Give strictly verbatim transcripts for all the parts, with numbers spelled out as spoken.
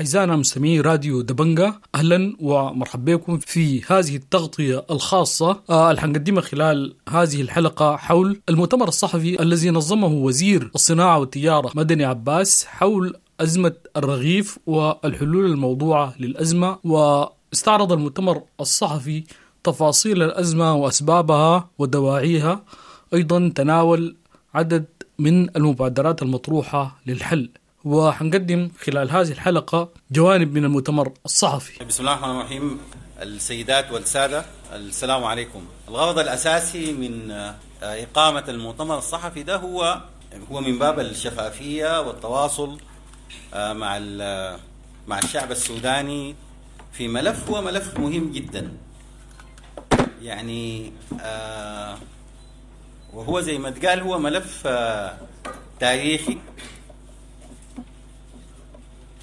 أعزائنا مستمعي راديو دبنجة، أهلا ومرحبا بكم في هذه التغطية الخاصة آه، اللي حنقدمها خلال هذه الحلقة حول المؤتمر الصحفي الذي نظمه وزير الصناعة والتجارة مدني عباس حول أزمة الرغيف والحلول الموضوعة للأزمة. واستعرض المؤتمر الصحفي تفاصيل الأزمة وأسبابها ودواعيها، أيضا تناول عدد من المبادرات المطروحة للحل. وحنقدم خلال هذه الحلقة جوانب من المؤتمر الصحفي. بسم الله الرحمن الرحيم. السيدات والسادة، السلام عليكم. الغرض الأساسي من إقامة المؤتمر الصحفي ده هو هو من باب الشفافية والتواصل مع مع الشعب السوداني في ملف هو ملف مهم جدا، يعني وهو زي ما تقال هو ملف تاريخي،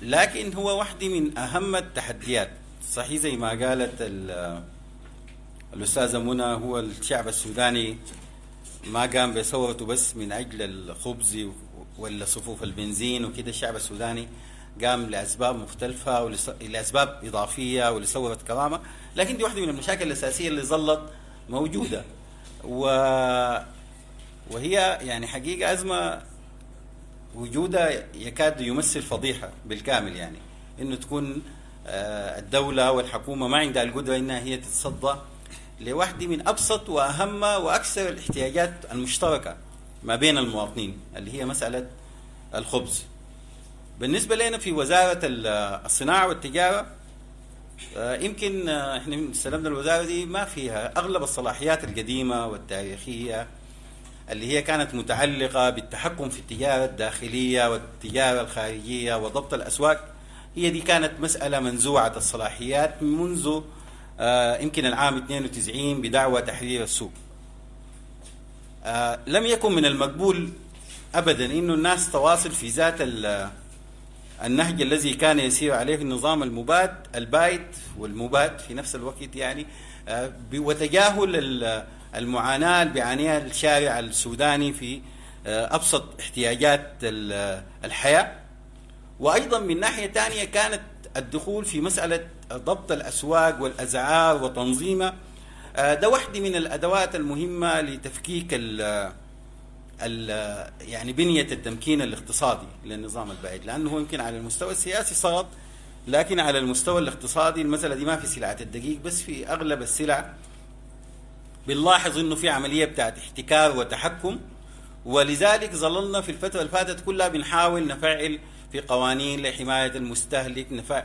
لكن هو واحدة من أهم التحديات. صحيح زي ما قالت الأستاذة منى، هو الشعب السوداني ما قام بثورته بس من أجل الخبز ولا صفوف البنزين وكده، الشعب السوداني قام لأسباب مختلفة ولأسباب إضافية ولثورة كرامة، لكن دي واحدة من المشاكل الأساسية اللي ظلت موجودة، و... وهي يعني حقيقة أزمة وجودها يكاد يمثل فضيحة بالكامل، يعني إنه تكون الدولة والحكومة ما عندها القدرة إنها هي تتصدى لواحدة من أبسط وأهم وأكثر الاحتياجات المشتركة ما بين المواطنين اللي هي مسألة الخبز. بالنسبة لنا في وزارة الصناعة والتجارة، يمكن احنا استلمنا الوزارة دي ما فيها أغلب الصلاحيات القديمة والتاريخية اللي هي كانت متعلقة بالتحكم في التجارة الداخلية والتجارة الخارجية وضبط الأسواق، هي دي كانت مسألة منزوعة الصلاحيات منذ يمكن العام اثنين وتسعين بدعوى تحرير السوق. لم يكن من المقبول أبدا إنه الناس تواصل في ذات النهج الذي كان يسير عليه النظام المباد البايد والمباد في نفس الوقت، يعني وتجاهل المعاناة اللي بيعانيها الشارع السوداني في أبسط احتياجات الحياة. وأيضا من ناحية ثانية كانت الدخول في مسألة ضبط الأسواق والأسعار وتنظيمها، ده واحدة من الأدوات المهمة لتفكيك ال ال يعني بنية التمكين الاقتصادي للنظام البائد، لأنه هو يمكن على المستوى السياسي سقط، لكن على المستوى الاقتصادي المسألة دي ما في سلعة الدقيق بس، في أغلب السلع بنلاحظ انه في عملية بتاعت احتكار وتحكم، ولذلك ظللنا في الفترة اللي فاتت كلها بنحاول نفعل في قوانين لحماية المستهلك. نفع...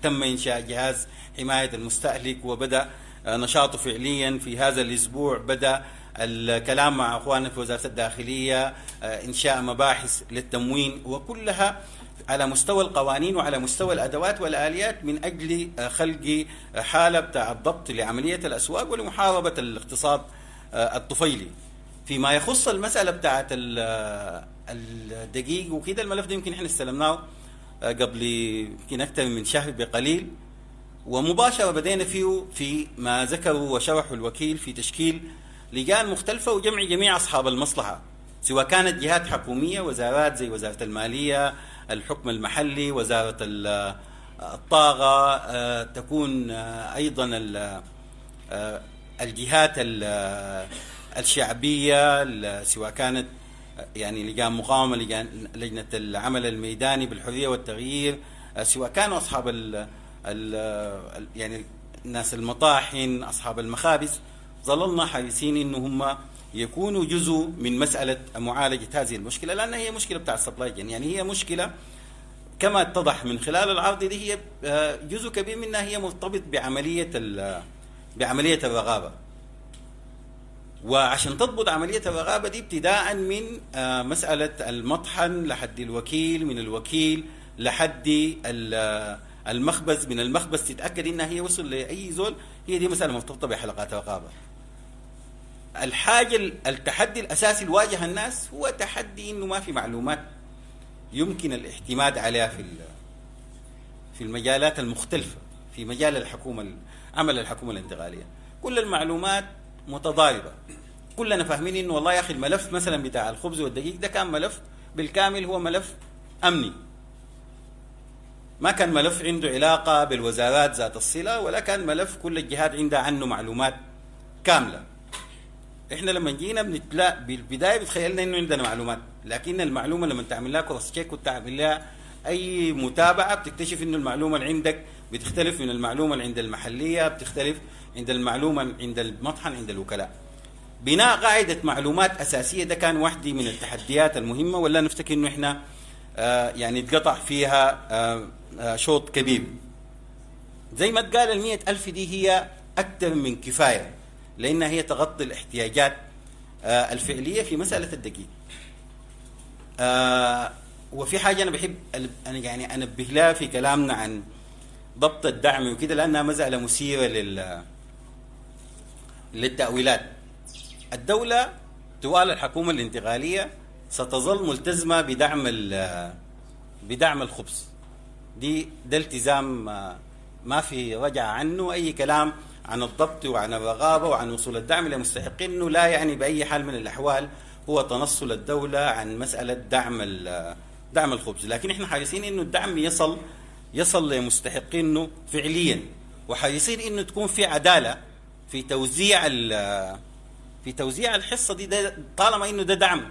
تم انشاء جهاز حماية المستهلك وبدا نشاطه فعليا في هذا الاسبوع، بدا الكلام مع اخواننا في وزارة الداخلية، انشاء مباحث للتموين، وكلها على مستوى القوانين وعلى مستوى الأدوات والآليات من أجل خلق حالة بتاع الضبط لعملية الأسواق ولمحاربة الاقتصاد الطفيلي. فيما يخص المسألة بتاعت الدقيق وكده، الملف ده يمكن احنا استلمناه قبل يمكن أكثر من شهر بقليل، ومباشرة بدينا فيه في ما ذكروا وشرحوا الوكيل في تشكيل لجان مختلفة وجمع جميع أصحاب المصلحة، سواء كانت جهات حكومية، وزارات زي وزارة المالية، الحكم المحلي، وزارة الطاقة، تكون أيضا الجهات الشعبية، سواء كانت يعني لجان مقاومة، لجان لجنة العمل الميداني بالحرية والتغيير، سواء كانوا أصحاب ال ال يعني ناس المطاحن، أصحاب المخابز. ظللنا حريصين إنه هم يكونوا جزء من مسألة معالجة هذه المشكلة، لأنها هي مشكلة بتاع ال supply chain، يعني هي مشكلة كما اتضح من خلال العرض دي هي جزء كبير منها هي مرتبط بعملية بعملية الرغابة. وعشان تضبط عملية الرغابة دي ابتداء من مسألة المطحن لحد الوكيل، من الوكيل لحد المخبز، من المخبز تتأكد إنها هي وصل لأي زول، هي دي مسألة مرتبطة بحلقات رقابة. الحاجة التحدي الأساسي اللي واجه الناس هو تحدي إنه ما في معلومات يمكن الاعتماد عليها في في المجالات المختلفة، في مجال الحكومة، عمل الحكومة الانتقالية. كل المعلومات متضاربة، كلنا فاهمين إنه والله يا أخي الملف مثلا بتاع الخبز والدقيق ده كان ملف بالكامل هو ملف أمني، ما كان ملف عنده علاقة بالوزارات ذات الصلة، ولا كان ملف كل الجهات عندها عنه معلومات كاملة. احنا لما جينا بنتلا بالبداية بتخيلنا انه عندنا معلومات، لكن المعلومة لما تعمل لها cross check وتعمل لها اي متابعه بتكتشف انه المعلومة اللي عندك بتختلف من المعلومة اللي عند المحلية، بتختلف عند المعلومة عند المطحن عند الوكلاء. بناء قاعدة معلومات اساسية ده كان واحدة من التحديات المهمة، ولا نفتكر انه احنا آه يعني اتقطع فيها آه آه شوط كبير. زي ما اتقال المية ألف دي هي أكثر من كفاية، لأنها هي تغطي الاحتياجات آه الفعلية في مسألة الدقيق. آه وفي حاجة أنا بحب أنا يعني أنبه لها في كلامنا عن ضبط الدعم وكده، لأنها مسألة مثيرة لل للتأويلات. الدولة طوال الحكومة الانتقالية ستظل ملتزمة بدعم بدعم الخبز، دي ده التزام ما في رجعة عنه. أي كلام عن الضبط وعن الرغابة وعن وصول الدعم لمستحقينه لا يعني بأي حال من الأحوال هو تنصل الدولة عن مسألة دعم دعم الخبز، لكن احنا حريصين انه الدعم يصل يصل لمستحقينه فعليا، وحريصين انه تكون في عدالة في توزيع في توزيع الحصة دي. ده طالما انه ده دعم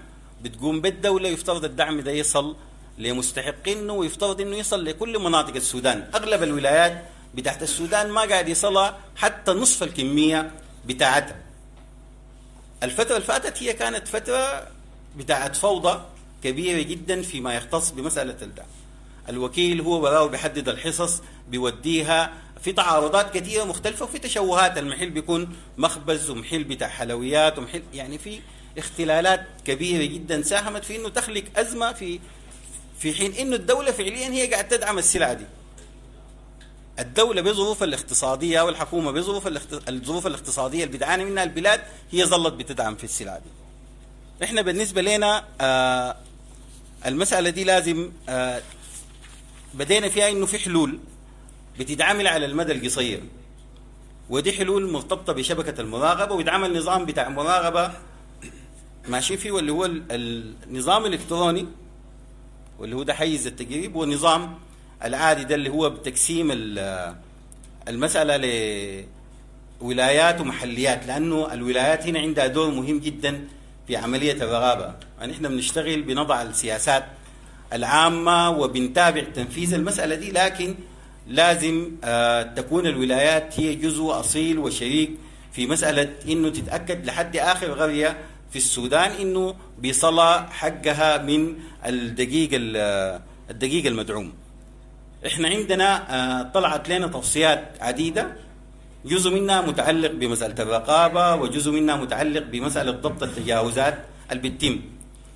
بتقوم بالدولة يفترض الدعم ده يصل لمستحقينه، ويفترض انه يصل لكل مناطق السودان. اغلب الولايات بتاعت السودان ما قاعد يصلها حتى نصف الكمية بتاعتها. الفترة اللي فاتت هي كانت فترة بتاعت فوضى كبيرة جدا فيما يختص بمسألة الدعم. الوكيل هو براو بيحدد الحصص بيوديها، في تعارضات كثيرة مختلفة وفي تشوهات. المحل بيكون مخبز ومحل بتاع حلويات ومحل، يعني في اختلالات كبيرة جدا ساهمت في انه تخلق أزمة في في حين انه الدولة فعليا هي قاعدة تدعم السلعة دي. الدولة بظروفها الاقتصادية والحكومة بظروف الظروف الاقتصادية اللي بتعاني منها البلاد هي ظلت بتدعم في السلعة دي. احنا بالنسبة لنا آه المسألة دي لازم آه بدينا فيها انه في حلول بتتعامل على المدى القصير، ودي حلول مرتبطة بشبكة المراقبة، ويتعمل نظام بتاع مراقبة ماشي فيه، واللي هو النظام الالكتروني واللي هو ده حيز التجريب، والنظام العادي ده اللي هو بتقسيم المسألة لولايات ومحليات، لأنه الولايات هنا عندها دور مهم جدا في عملية الرغابة. يعني احنا بنشتغل بنضع السياسات العامة وبنتابع تنفيذ المسألة دي، لكن لازم تكون الولايات هي جزء أصيل وشريك في مسألة إنه تتأكد لحد آخر قرية في السودان إنه بيصلى حقها من الدقيق الدقيق المدعوم. احنا عندنا طلعت لنا توصيات عديدة، جزء منها متعلق بمسألة الرقابة وجزء منها متعلق بمسألة ضبط التجاوزات اللي بتتم.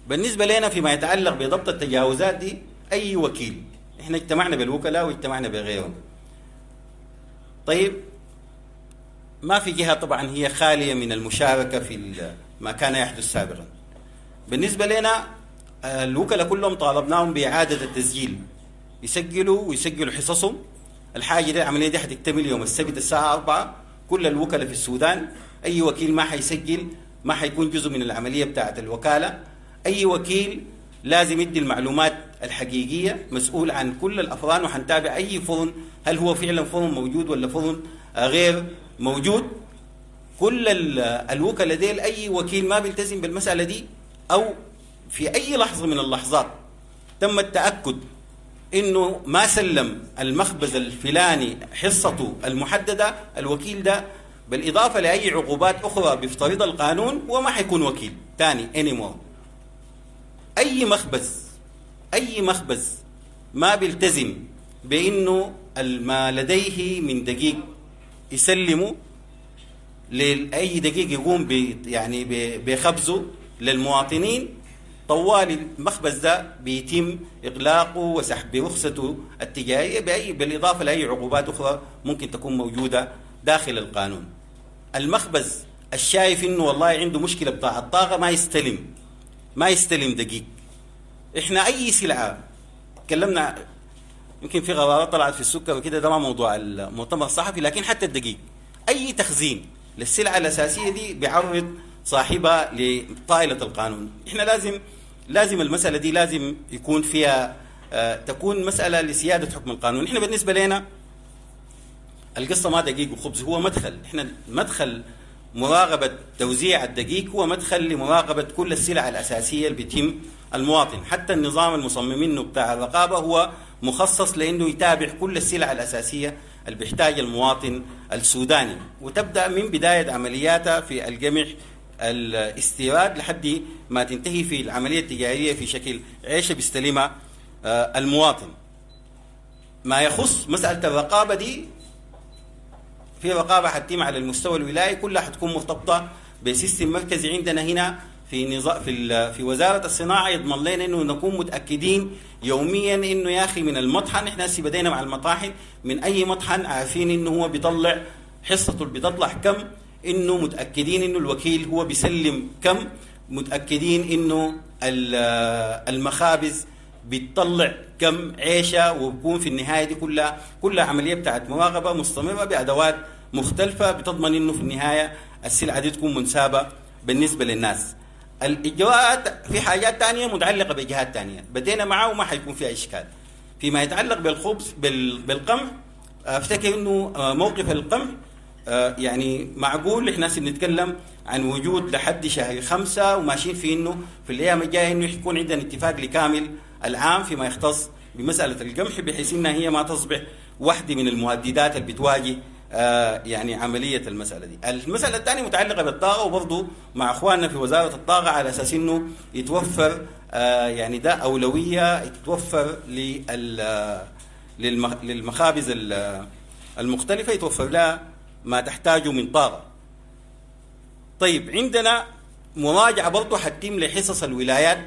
بالنسبة لنا فيما يتعلق بضبط التجاوزات دي، أي وكيل، احنا اجتمعنا بالوكلاء واجتمعنا بغيرهم. طيب ما في جهة طبعا هي خالية من المشاركة في ما كان يحدث سابقا. بالنسبة لنا الوكلاء كلهم طالبناهم بإعادة التسجيل، يسجلوا ويسجلوا حصصهم. الحاجة دي العملية دي حتكتمل يوم السبت الساعة أربعة. كل الوكلاء في السودان، أي وكيل ما حيسجل ما حيكون جزء من العملية بتاعة الوكالة. أي وكيل لازم يدي المعلومات الحقيقية، مسؤول عن كل الأفران، وحنتابع أي فرن هل هو فعلا فرن موجود ولا فرن غير موجود. كل الوكلاء ديل أي وكيل ما بيلتزم بالمسألة دي أو في أي لحظة من اللحظات تم التأكد إنه ما سلم المخبز الفلاني حصته المحددة، الوكيل ده بالإضافة لأي عقوبات أخرى بيفترضها القانون وما حيكون وكيل تاني anymore. أي مخبز أي مخبز ما بيلتزم بإنه ما لديه من دقيق يسلمه لأي دقيق يقوم ب يعني بخبزه للمواطنين، طوال المخبز ده بيتم إغلاقه وسحب رخصته التجارية بأي بالإضافة لأي عقوبات أخرى ممكن تكون موجودة داخل القانون. المخبز الشايف إنه والله عنده مشكلة بتاع الطاقة ما يستلم ما يستلم دقيق. إحنا أي سلعة تكلمنا يمكن في غرارات طلعت في السكر وكده، ده ما موضوع المؤتمر الصحفي، لكن حتى الدقيق أي تخزين للسلعة الأساسية دي بيعرض صاحبها لطائلة القانون. إحنا لازم لازم المسألة دي لازم يكون فيها آه، تكون مسالة لسياده حكم القانون. احنا بالنسبة لنا القصة ما دقيق وخبز، هو مدخل. احنا مدخل مراقبة توزيع الدقيق هو مدخل لمراقبه كل السلع الاساسية اللي بتهم المواطن. حتى النظام المصممينه بتاع الرقابة هو مخصص لانه يتابع كل السلع الاساسية اللي بيحتاج المواطن السوداني، وتبدا من بداية عملياتها في القمح الاستيراد لحد ما تنتهي في العملية التجارية في شكل عيشه بيستلمها آه، المواطن. ما يخص مسالة الرقابة دي، في رقابه حتتم على المستوى الولائي كلها حتكون مرتبطة ب system مركزي عندنا هنا في نظام في ال- في وزارة الصناعة، يضمن لنا انه نكون متاكدين يوميا انه يا اخي من المطحن، احنا هسه بدينا مع المطاحن، من اي مطحن عارفين انه هو بيطلع حصته اللي بتطلع كم، انه متاكدين انه الوكيل هو بيسلم كم، متاكدين انه ال- المخابز بتطلع كم عيشه، وبكون في النهاية دي كلها كلها عملية بتاعت مراقبة مستمرة بادوات مختلفة بتضمن انه في النهاية السلعة دي تكون منسابه بالنسبة للناس. الاجراءات في حاجات تانية متعلقه بجهات تانية بدينا معاه وما حيكون فيها اشكال. فيما يتعلق بالخبز بال- بالقمح، افتكر انه موقف القمح آه، يعني معقول. احنا هسه بنتكلم عن وجود لحد شهر خمسة وماشيين في انه في الايام الجاية انه يكون عندنا اتفاق لكامل العام فيما يختص بمسالة القمح، بحيث انها هي ما تصبح واحدة من المهددات اللي بتواجه آه، يعني عملية المسالة دي. المسالة الثانية متعلقه بالطاقة، وبرضه مع اخواننا في وزارة الطاقة على اساس انه يتوفر آه، يعني ده اولوية يتوفر لل للمخ- للمخابز ال- المختلفة يتوفر لها ما تحتاجه من طاقة. طيب عندنا مراجعه برضه حتتم لحصص الولايات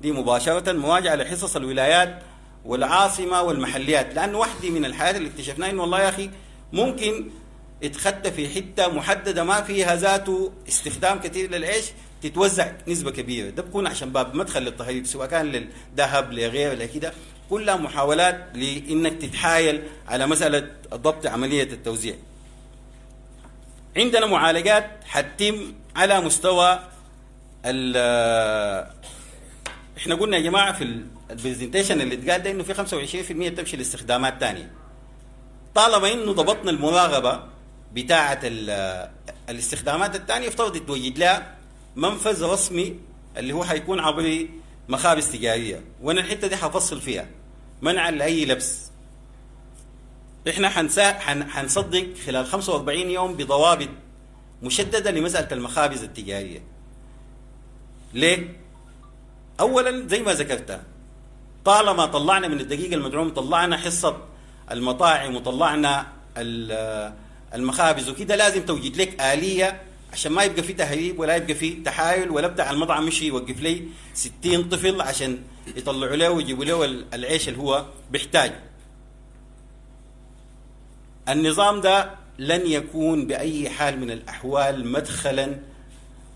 دي مباشرة، مراجعه لحصص الولايات والعاصمه والمحليات، لانه واحدة من الحاجات اللي اكتشفناها انه والله يا اخي ممكن اتخدت في حتة محددة ما فيها ذاته استخدام كثير للعيش تتوزع نسبه كبيرة، ده بكون عشان باب مدخل للتهريب سواء كان للذهب لغيره لكده، كلها محاولات لانك تتحايل على مسالة ضبط عملية التوزيع. عندنا معالجات حتتم على مستوى ال احنا قلنا يا جماعة في ال presentation اللي اتقال ده انه في خمسة وعشرين في المية تمشي لاستخدامات ثانية. طالما انه ضبطنا المراقبة بتاعه ال- الاستخدامات الثانية، يفترض توجد لها منفذ رسمي اللي هو حيكون عبر مخابز تجارية، وانا الحتة دي حفصل فيها منعا لاي لبس. احنا حنسا حن حنصدق خلال خمسة وأربعين يوم بضوابط مشددة لمسالة المخابز التجارية. ليه؟ اولا زي ما ذكرتها، طالما طلعنا من الدقيق المدعوم طلعنا حصة المطاعم وطلعنا ال- المخابز وكده، لازم توجد لك آلية عشان ما يبقى في تهريب ولا يبقى في تحايل، ولا بتاع المطعم مش يوقف لي ستين طفل عشان يطلعوا له ويجيبوا له العيش اللي هو بيحتاجه. النظام ده لن يكون بأي حال من الأحوال مدخلا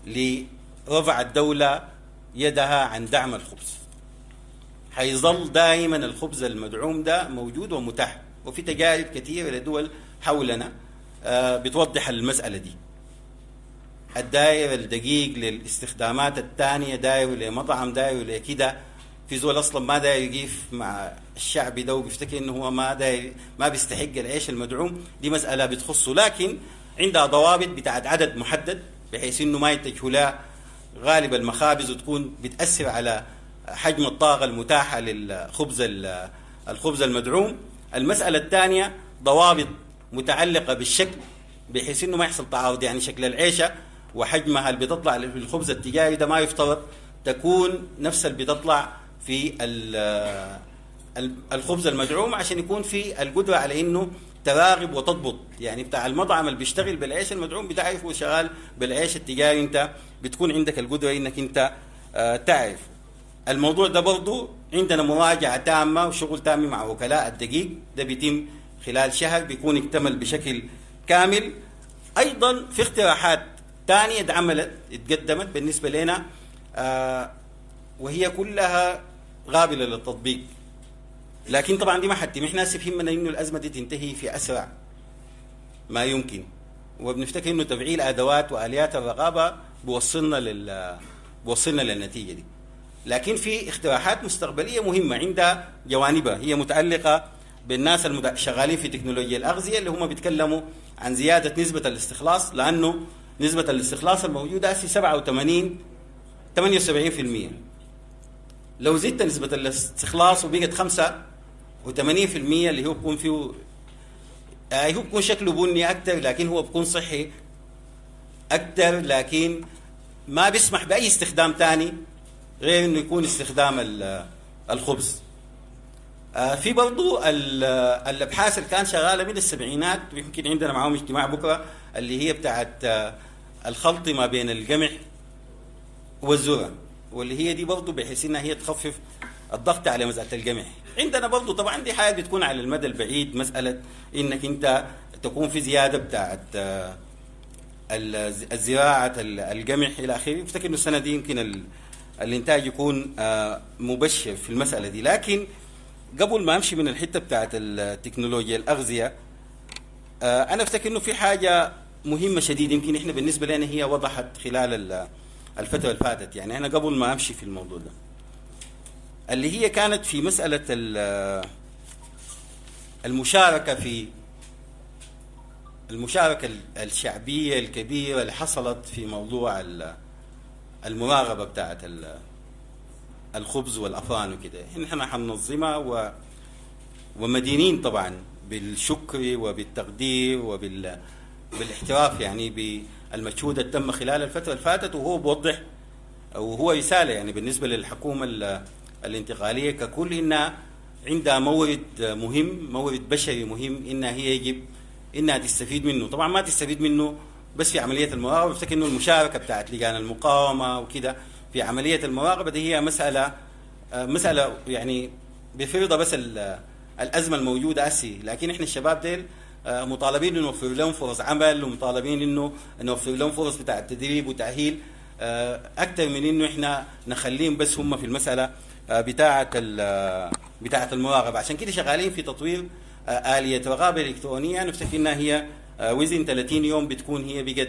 لرفع الدولة يدها عن دعم الخبز. حيظل دائما الخبز المدعوم ده موجود ومتاح، وفي تجارب كثيرة لدول حولنا آه، بتوضح المسألة دي. الدائر الدقيق للاستخدامات الثانية، داير لمطعم، داير لكده، في زول اصلا ما داير يقيف مع الشعب ده وبيفتكر انه هو ما داير ما بيستحق العيش المدعوم، دي مسألة بتخصه، لكن عندها ضوابط بتاعت عدد محدد بحيث انه ما يتجهوا لها غالب المخابز وتكون بتأثر على حجم الطاقة المتاحة للخبز ال- الخبز المدعوم. المسألة الثانية ضوابط متعلقة بالشكل بحيث انه ما يحصل تعارض، يعني شكل العيشة وحجمها اللي بتطلع في الخبز التجاري ده ما يفترض تكون نفس اللي بتطلع في ال- ال- الخبز المدعوم، عشان يكون في القدرة على انه تراقب وتضبط. يعني بتاع المطعم اللي بيشتغل بالعيش المدعوم بتعرف هو شغال بالعيش التجاري، انت بتكون عندك القدرة انك انت آه، تعرف. الموضوع ده برضو عندنا مراجعة تامة وشغل تام مع وكلاء الدقيق، ده بيتم خلال شهر بيكون اكتمل بشكل كامل. أيضا في اقتراحات ثانية اتعملت اتقدمت بالنسبة لنا آه وهي كلها قابلة للتطبيق، لكن طبعا دي ما حتتم. احنا هسه بهمنا انه الازمة دي تنتهي في اسرع ما يمكن، وبنفتكر انه تفعيل ادوات واليات الرقابة بوصلنا لل بوصلنا للنتيجة دي. لكن في اقتراحات مستقبلية مهمة عندها جوانبها هي متعلقه بالناس الشغالين في تكنولوجيا الاغذية اللي هم بيتكلموا عن زيادة نسبه الاستخلاص، لانه نسبه الاستخلاص الموجودة هسه سبعة وثمانين ثمانية وسبعين بالمئة. لو زدت نسبه الاستخلاص وبقت خمسة وثمانين بالمئة اللي هو بيكون فيه آه هو بيكون شكله بني اكثر لكن هو بيكون صحي اكثر، لكن ما بيسمح باي استخدام ثاني غير انه يكون استخدام الخبز. آه في برضو الابحاث اللي كان شغالة من السبعينات، ويمكن عندنا معاهم اجتماع بكره، اللي هي بتاعت الخلط ما بين القمح والذرة، واللي هي دي برضو بحيث انها هي تخفف الضغط على مسالة القمح. عندنا برضو طبعا دي حاجة بتكون على المدى البعيد، مسالة انك انت تكون في زيادة بتاعت الزراعة القمح الى اخره. افتكر انه السنة دي يمكن الانتاج يكون مبشر في المسالة دي. لكن قبل ما امشي من الحتة بتاعت التكنولوجيا الاغذية، انا افتكر انه في حاجة مهمة شديد يمكن احنا بالنسبة لنا هي وضحت خلال الفترة اللي فاتت. يعني انا قبل ما امشي في الموضوع ده اللي هي كانت في مسالة المشاركة في المشاركة الشعبية الكبيرة اللي حصلت في موضوع المراقبة بتاعت الخبز والافران وكده. احنا حننظمها و ومدينين طبعا بالشكر وبالتقدير وبال بالاحتراف يعني بالمجهود اللي تم خلال الفترة اللي فاتت، وهو بوضح وهو رسالة يعني بالنسبة للحكومة الانتقالية ككل انها عندها مورد مهم، مورد بشري مهم، انها هي يجب انها تستفيد منه. طبعا ما تستفيد منه بس في عملية المراقبة، بفتكر انه المشاركة بتاعت لجان المقاومة وكده في عملية المراقبة دي هي مسالة مسالة يعني بفرضها بس الازمة الموجودة اسي، لكن احنا الشباب ديل مطالبين انه نوفر لهم فرص عمل، ومطالبين انه نوفر لهم فرص بتاع التدريب وتاهيل اكثر من انه احنا نخليهم بس هم في المسالة بتاعه بتاعه المراقبة. عشان كده شغالين في تطوير آلية رقابة إلكترونية نفتكر إنها هي وزن ثلاثين يوم بتكون هي بقت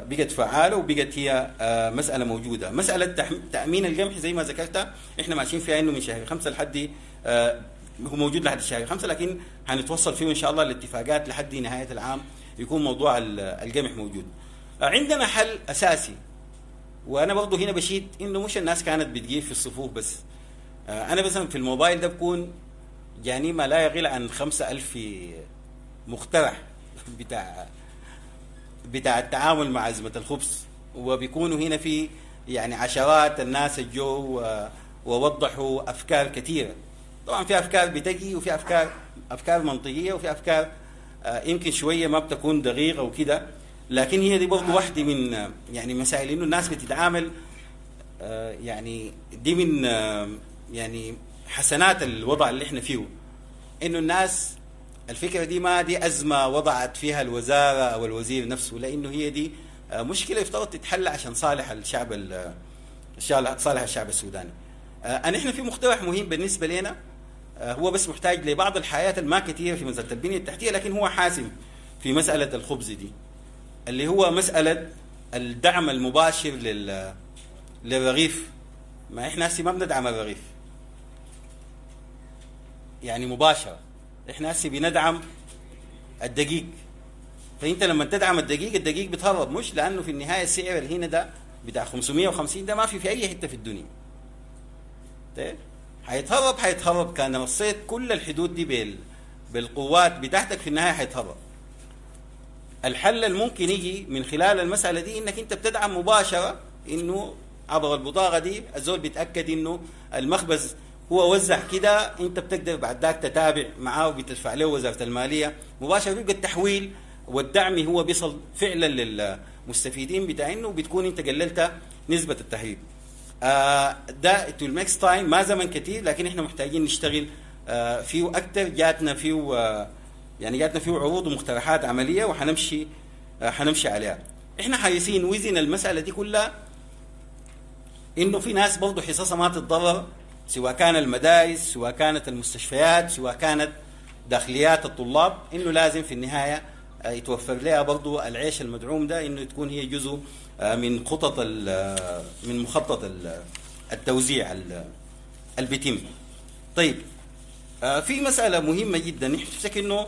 بقت فعالة وبقت هي مسألة موجودة. مسألة تأمين القمح زي ما ذكرتها احنا ماشيين فيها إنه من شهر خمسة لحد هو موجود لحد شهر خمسة، لكن هنتوصل فيه إن شاء الله الاتفاقات لحد نهاية العام يكون موضوع القمح موجود. عندنا حل أساسي، وأنا برضه هنا بشيد إنه مش الناس كانت بتجيب في الصفوف بس. أنا مثلا في الموبايل ده بكون جاني ما لا يقل عن خمسة ألف مقترح بتاع بتاع التعامل مع أزمة الخبز، وبيكونوا هنا في يعني عشرات الناس الجو ووضحوا أفكار كثيرة. طبعا في أفكار بتجي وفي أفكار أفكار منطقية وفي أفكار يمكن شوية ما بتكون دقيقة وكده، لكن هي دي برضه واحدة من يعني مسائل إنه الناس بتتعامل يعني دي من يعني حسنات الوضع اللي احنا فيه، انه الناس الفكرة دي ما دي ازمة وضعت فيها الوزارة او الوزير نفسه، لانه هي دي مشكلة يفترض تتحل عشان صالح الشعب صالح الشعب السوداني. انا احنا في مقترح مهم بالنسبة لنا، هو بس محتاج لبعض الحياة الما كثيرة في مسالة البنية التحتية، لكن هو حاسم في مسالة الخبز دي، اللي هو مسالة الدعم المباشر لل للرغيف. ما احنا هسه ما بندعم الرغيف يعني مباشرة، احنا هسه بندعم الدقيق. فانت لما تدعم الدقيق الدقيق بيتهرب، مش لانه في النهاية السعر اللي هنا ده بتاع خمسمية وخمسين ده ما في في اي حتة في الدنيا. طيب حيتهرب حيتهرب كان رصيت كل الحدود دي بال بالقوات بتاعتك في النهاية حيتهرب. الحل الممكن يجي من خلال المسالة دي انك انت بتدعم مباشرة، انه عبر البطاقة دي الزول بيتاكد انه المخبز هو وزع كده، انت بتقدر بعد ذاك تتابع معاه وبتدفع له وزارة المالية مباشرة، بيبقى التحويل والدعم هو بيصل فعلا للمستفيدين بتاعينه، وبتكون انت قللت نسبه التهريب. آه ده it will make time، ما زمن كثير، لكن احنا محتاجين نشتغل آه فيه اكثر. جاتنا فيه آه يعني جاتنا فيه عروض ومقترحات عملية وحنمشي آه حنمشي عليها. احنا حريصين وزن المسالة دي كلها انه في ناس برضه حصصها ما تتضرر، سواء كان المدارس، سواء كانت المستشفيات، سواء كانت داخليات الطلاب، انه لازم في النهاية يتوفر لها برضو العيش المدعوم ده، انه تكون هي جزء من خطط من مخطط التوزيع اللي بيتم. طيب آه في مسالة مهمة جدا، نحن نفتكر انه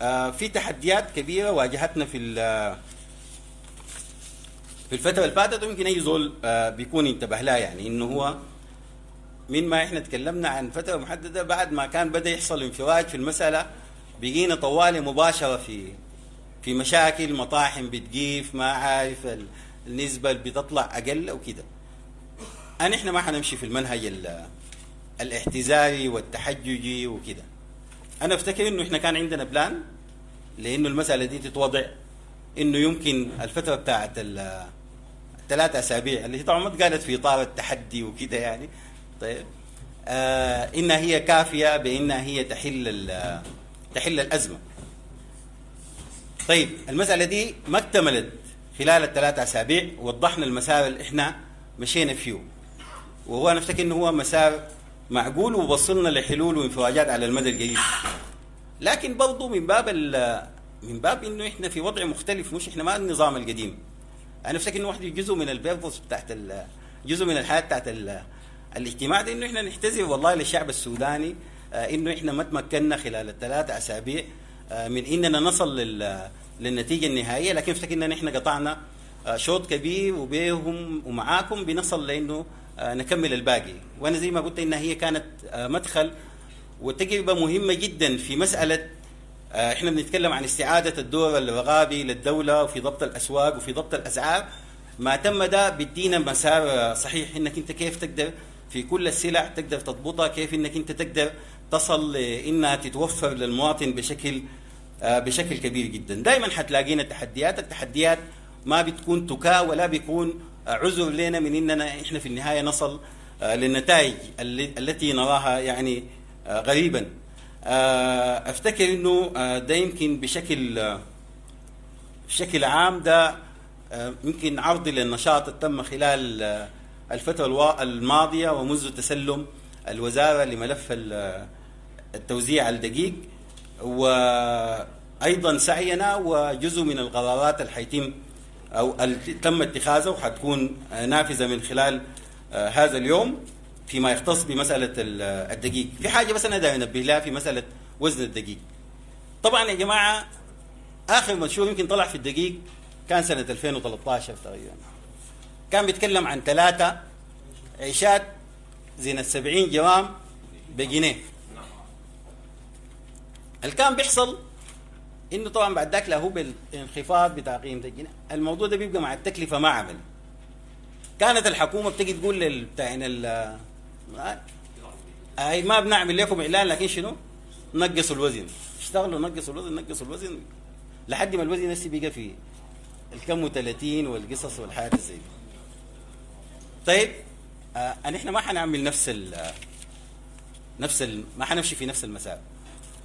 آه في تحديات كبيرة واجهتنا في في الفترة اللي فاتت، ويمكن اي زول آه بيكون انتبه لها، يعني انه هو من ما احنا تكلمنا عن فترة محددة بعد ما كان بدا يحصل انفراج في المسالة، بقينا طوالي مباشرة في في مشاكل، مطاحن بتقيف، ما عارف النسبة اللي بتطلع اقل وكده. انا احنا ما حنمشي في المنهج الاحتزاري والتحججي وكده. انا افتكر انه احنا كان عندنا plan لانه المسالة دي تتوضع انه يمكن الفترة بتاعت الثلاث اسابيع اللي هي طبعا ما اتقالت في اطار التحدي وكده يعني، طيب آه انها هي كافيه بانها هي تحل تحل الازمة. طيب المسالة دي ما اكتملت خلال الثلاث اسابيع، وضحنا المسار اللي احنا مشينا فيه، وهو انا افتكر انه هو مسار معقول ووصلنا لحلول وانفراجات على المدى القريب. لكن برضه من باب من باب انه احنا في وضع مختلف، مش احنا ما النظام القديم. انا افتكر انه واحد جزء من ال purpose بتاعت جزء من الحياة بتاعت الاجتماع ده انه احنا نحتزم والله للشعب السوداني انه احنا ما تمكنا خلال الثلاث اسابيع من اننا نصل للنتيجة النهائية، لكن افتكر ان احنا قطعنا شوط كبير وبيهم ومعاكم بنصل لانه نكمل الباقي. وانا زي ما قلت انها هي كانت مدخل وتجربه مهمة جدا في مسالة احنا بنتكلم عن استعاده الدور الرغابي للدولة وفي ضبط الاسواق وفي ضبط الاسعار. ما تم ده بيدينا مسار صحيح انك انت كيف تقدر في كل السلع تقدر تضبطها، كيف انك انت تقدر تصل لانها تتوفر للمواطن بشكل بشكل كبير جدا. دائما حتلاقينا تحديات، التحديات ما بتكون تكا ولا بيكون عذر لنا من اننا احنا في النهاية نصل للنتائج التي نراها يعني غريبا. افتكر انه ده يمكن بشكل بشكل عام ده يمكن عرض للنشاط اللي تم خلال الفترة الماضية ومنذ تسلم الوزارة لملف التوزيع الدقيق، وايضا سعينا وجزء من القرارات اللي حيتم او اللي تم اتخاذها وحتكون نافذة من خلال هذا اليوم فيما يختص بمسالة الدقيق. في حاجة بس انا دايما انبه لها في مسالة وزن الدقيق. طبعا يا جماعة اخر منشور يمكن طلع في الدقيق كان سنة ألفين وثلاثة عشر تقريبا، كان بيتكلم عن ثلاثة عيشات زينة سبعين جرام بجنيه. اللي كان بيحصل انه طبعا بعد ذاك له بالانخفاض بتاع قيمة الجنيه، الموضوع ده بيبقى مع التكلفة ما عمل. كانت الحكومة بتجي تقول للبتاعين ال اي ما بنعمل لكم اعلان، لكن شنو؟ نقصوا الوزن، اشتغلوا نقصوا الوزن نقصوا الوزن لحد ما الوزن هسه بقى في الكم وثلاثين والقصص والحاجات زي دي. طيب آه احنا ما حنعمل نفس ال نفس ال ما حنمشي في نفس المسار.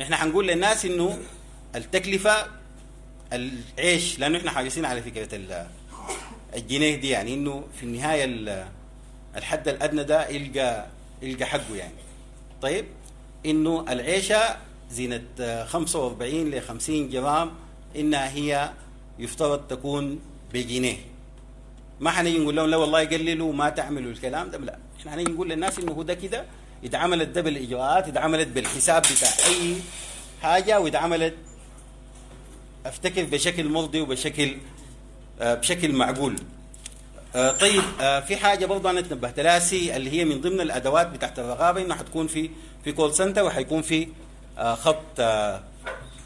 احنا حنقول للناس انه التكلفة العيش، لانه احنا حريصين على فكرة الجنيه دي، يعني انه في النهاية الحد الادنى ده يلقى يلقى حقه يعني. طيب انه العيشة زينة خمسة وأربعين ل خمسين جرام انها هي يفترض تكون بجنيه. ما حنيجي نقول لهم لا والله قللوا ما تعملوا الكلام ده، لا، احنا حنيجي نقول للناس انه هو ده كده اتعملت ده بالاجراءات، اتعملت بالحساب بتاع اي حاجة، واتعملت افتكر بشكل مرضي وبشكل آه بشكل معقول. آه طيب آه في حاجة برضه انا تنبهت لها سي اللي هي من ضمن الادوات بتاعت الرقابة، انه حتكون في في call center وحيكون في آه خط آه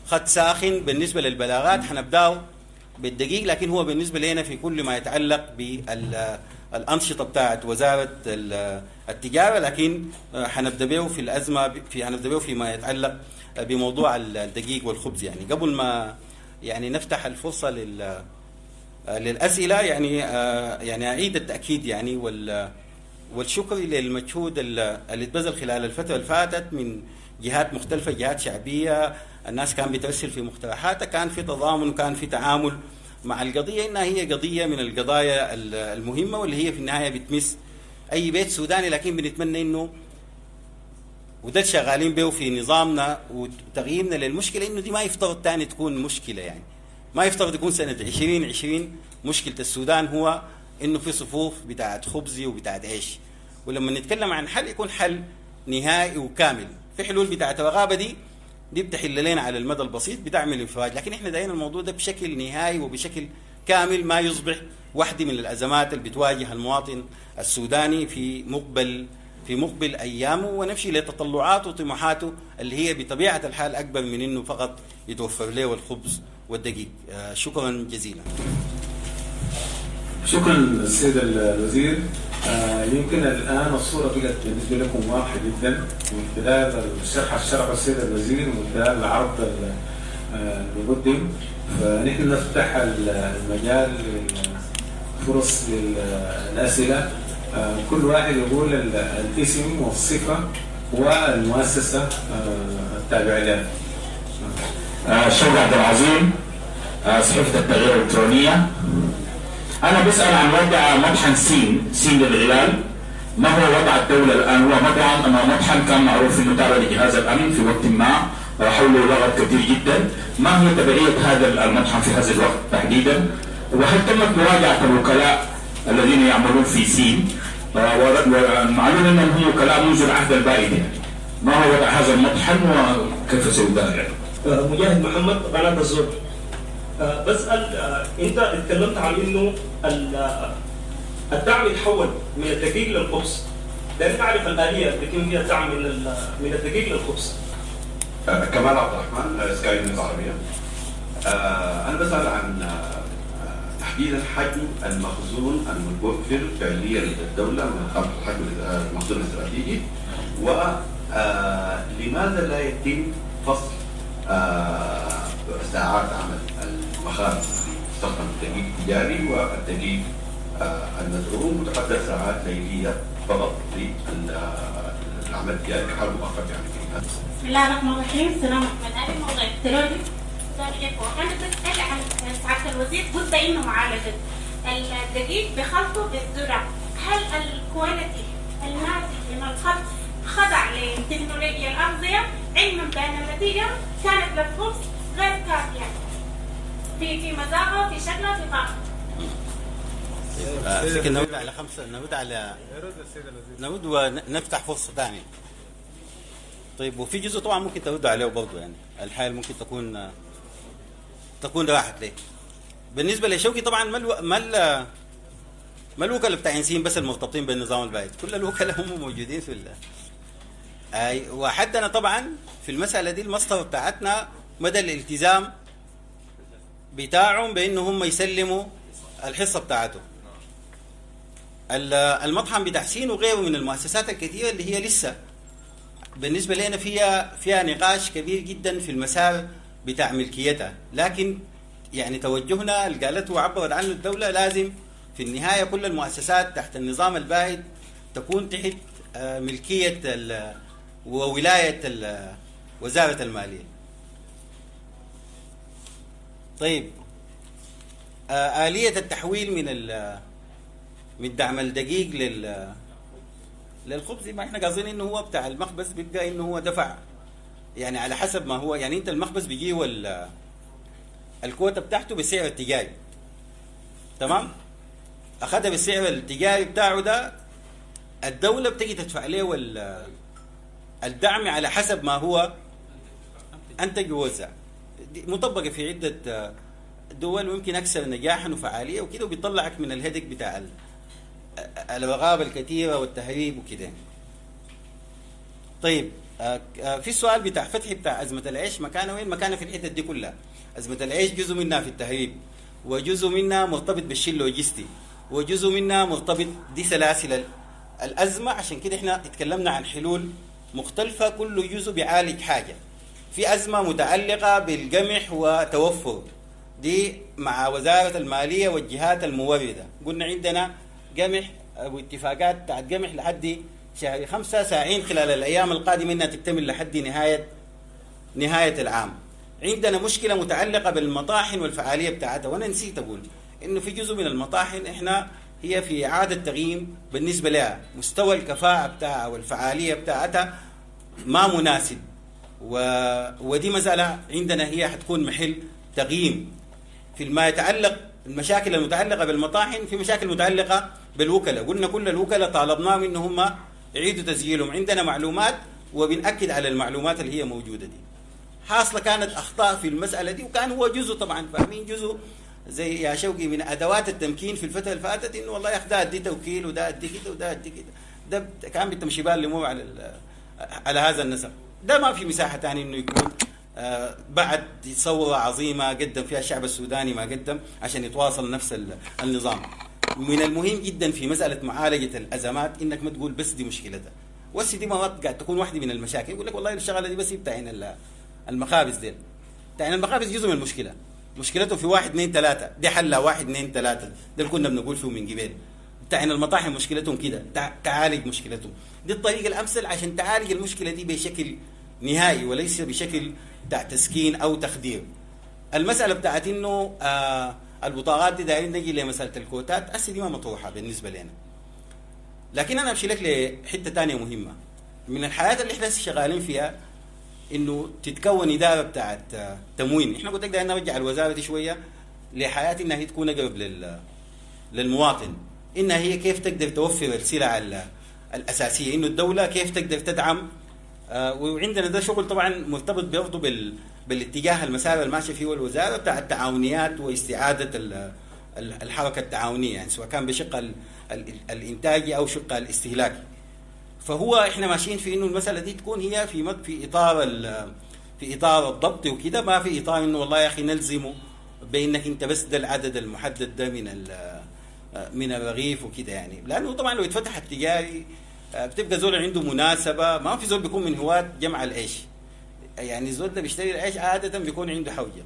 خط ساخن بالنسبة للبلاغات. حنبداه بالدقيق، لكن هو بالنسبة لنا في كل ما يتعلق بالانشطه بتاعت وزارة التجارة، لكن حنبدا به في الازمة في حنبدا به فيما يتعلق بموضوع الدقيق والخبز. يعني قبل ما يعني نفتح الفرصة لل للاسئلة، يعني يعني اعيد التاكيد يعني وال والشكر للمجهود اللي اتبذل خلال الفترة اللي فاتت من جهات مختلفة، جهات شعبية، الناس كان بترسل في مقترحاتها، كان في تضامن وكان في تعامل مع القضية، انها هي قضية من القضايا المهمة واللي هي في النهاية بتمس اي بيت سوداني. لكن بنتمنى انه وده شغالين به في نظامنا وتغييرنا للمشكلة، انه دي ما يفترض ثاني تكون مشكلة، يعني ما يفترض يكون سنة عشرين عشرين مشكلة السودان هو انه في صفوف بتاعت خبزي وبتاعت عيش. ولما نتكلم عن حل يكون حل نهائي وكامل. في حلول بتاعت الرغابه دي دي بتحل لنا على المدى البسيط، بتعمل انفراج، لكن احنا دايرين الموضوع ده بشكل نهائي وبشكل كامل، ما يصبح واحدة من الازمات اللي بتواجه المواطن السوداني في مقبل في مقبل ايامه، ونمشي لتطلعاته وطموحاته اللي هي بطبيعة الحال اكبر من انه فقط يتوفر له الخبز والدقيق. شكرا جزيلا. شكرا السيد الوزير. يمكن الان الصورة بقت بالنسبة لكم واضحة جدا من خلال الشرح الشرح السيد الوزير ومن خلال العرض المقدم. فنحن نفتح المجال للفرص للاسئلة، كل واحد يقول الاسم والصفة والمؤسسة التابعة لها. شوقي عبد العظيم، صحيفة التغيير الالكترونية. أنا بسأل عن وضع مطحن سين، سين للغلال. ما هو وضع الدولة الآن؟ هو مطعم مطحن كان معروف إنه تابع لجهاز الأمن في وقت ما، حوله لغط كثير جدا. ما هي تبعية هذا المطحن في هذا الوقت تحديدا؟ وهل تمت مراجعة الوكلاء الذين يعملون في سين؟ ومعلوم أنهم هم وكلاء منذ العهد البائد يعني. ما هو وضع هذا المطحن وكيف سيدار؟ مجاهد محمد، قناة الزور. بسأل، أنت اتكلمت عن إنه الدعم يتحول من الدقيق للخبز، لأن نعرف الآلية اللي بيتم فيها الدعم من من الدقيق للخبز. كمال عبد الرحمن، سكاي نيوز عربية. أنا بسأل عن تحديدا حجم المخزون المتوفر فعليا لدى الدولة من الحجم المخزون الاستراتيجي، ولماذا لا يتم فصل ساعات عمل المخابز تستخدم الدقيق التجاري والدقيق المزعوم وتقدر ساعات ليليه فقط للعمل التجاري كحل مؤقت يعني. بسم الله الرحمن الرحيم. سلام احمد علي، موضوع الترولي. انا بسال عن سعادة الوزير، قلت انه معالجة الدقيق بخلطه بالذره، هل ال quality الناتج من الخلط خضع لتكنولوجيا الاغذية، علما بان النتيجة كانت للخبز غير كافيه في في مذاقه، في شكله، في طعمه؟ افتكر نرد على خمسة، نرد على نرد ونفتح فرصة ثانية. طيب، وفي جزء طبعا ممكن ترد عليه برضه، يعني الحال ممكن تكون تكون راحت ليه. بالنسبة لشوقي طبعا ما الو... ما ال... ما الوكلاء بتاع سين بس المرتبطين بالنظام البائد، كل الوكلاء هم موجودين في ال... اي. وحدنا طبعا في المسالة دي المسطره بتاعتنا مدى الالتزام بتاعهم بانه هم يسلموا الحصة بتاعتهم. المطحن بتاع سين وغيره من المؤسسات الكثيرة اللي هي لسه بالنسبة لنا فيها فيها نقاش كبير جدا في المسار بتاع ملكيتها، لكن يعني توجهنا اللي قالته وعبرت عنه الدولة لازم في النهاية كل المؤسسات تحت النظام البائد تكون تحت ملكية وولاية وزارة المالية. طيب، آلية التحويل من من دعم الدقيق لل للخبز، ما احنا قاصدين انه هو بتاع المخبز بيبقى انه هو دفع يعني على حسب ما هو، يعني انت المخبز بيجيه الكوتا بتاعته بالسعر التجاري، تمام؟ اخذها بالسعر التجاري بتاعه ده، الدولة بتجي تدفع له الدعم على حسب ما هو انتج ووزع. مطبقه في عده دول ويمكن اكثر نجاحا وفعاليه وكده، وبيطلعك من الهدك بتاع الرغابه الكثيرة والتهريب وكده. طيب، في السؤال بتاع فتحي بتاع ازمة العيش مكانه وين؟ مكانه في الحتة دي كلها. ازمة العيش جزء منها في التهريب، وجزء منها مرتبط بالشيء اللوجستي، وجزء منها مرتبط دي سلاسل الازمة. عشان كده احنا اتكلمنا عن حلول مختلفة، كل جزء بيعالج حاجة. في ازمة متعلقه بالقمح وتوفر دي مع وزارة المالية والجهات المورده، قلنا عندنا قمح واتفاقات بتاعت قمح لحد شهر خمسة، ساعين خلال الأيام القادمة إنها تكتمل لحد نهاية نهاية العام. عندنا مشكلة متعلقة بالمطاحن والفعالية بتاعتها، وأنا نسيت أقول إنه في جزء من المطاحن إحنا هي في إعادة تقييم بالنسبة لها، مستوى الكفاءة بتاعها والفعالية بتاعتها ما مناسب، و... ودي مسألة عندنا هي حتكون محل تقييم. في ما يتعلق المشاكل المتعلقة بالمطاحن، في مشاكل متعلقه بالوكلاء، قلنا كل الوكلاء طالبناهم ان هم يعيدوا تسجيلهم، عندنا معلومات وبنأكد على المعلومات اللي هي موجودة دي. حاصله كانت اخطاء في المسالة دي، وكان هو جزء طبعا فاهمين جزء زي يا شوقي من ادوات التمكين في الفترة اللي فاتت، انه والله يا اخي ده ادي توكيل وده ادي كده وده ادي كده، ده كان بتمشي بال الامور على على هذا النسق. ده ما في مساحة ثانية انه يكون آه بعد ثورة عظيمة قدم فيها الشعب السوداني ما قدم عشان يتواصل نفس النظام. من المهم جدا في مسالة معالجة الازمات انك ما تقول بس دي مشكلتها، بس دي مرات قاعد تكون واحدة من المشاكل، يقول لك والله الشغلة دي بس بتاعين المخابز ديل، بتاعين المخابز جزء من المشكلة، مشكلته في واحد اثنين ثلاثة، دي حلها واحد اثنين ثلاثة، ده اللي كنا بنقول فيه من قبل. بتاعين المطاحن مشكلتهم كده، تعالج مشكلتهم، دي الطريقة الامثل عشان تعالج المشكلة دي بشكل نهائي وليس بشكل بتاع تسكين او تخدير. المسالة بتاعت انه آه البطاقات دي دايرين نجي لمسالة الكوتات، هسه دي ما مطروحة بالنسبة لنا. لكن انا امشي لك لحته ثانية مهمة من الحياة اللي احنا شغالين فيها، انه تتكون ادارة بتاعت تموين. احنا قلت لك دايرين نرجع الوزارة دي شوية لحياه انها هي تكون اقرب لل للمواطن، انها هي كيف تقدر توفر السلع الاساسية، انه الدولة كيف تقدر تدعم. آه وعندنا ده شغل طبعا مرتبط برضه بال بالاتجاه المسار الماشي فيه الوزارة بتاع التعاونيات واستعادة الحركة التعاونية، يعني سواء كان بشق الانتاجي او شق الاستهلاكي. فهو احنا ماشيين في انه المسالة دي تكون هي في في اطار في اطار الضبط وكده، ما في اطار انه والله يا اخي نلزمه بانك انت بس ده العدد المحدد ده من من الرغيف وكده يعني، لانه طبعا لو اتفتح التجاري بتبقى زول عنده مناسبة، ما في زول بيكون من هواة جمع العيش، يعني الزول ده بيشتري العيش عادة بيكون عنده حوجه،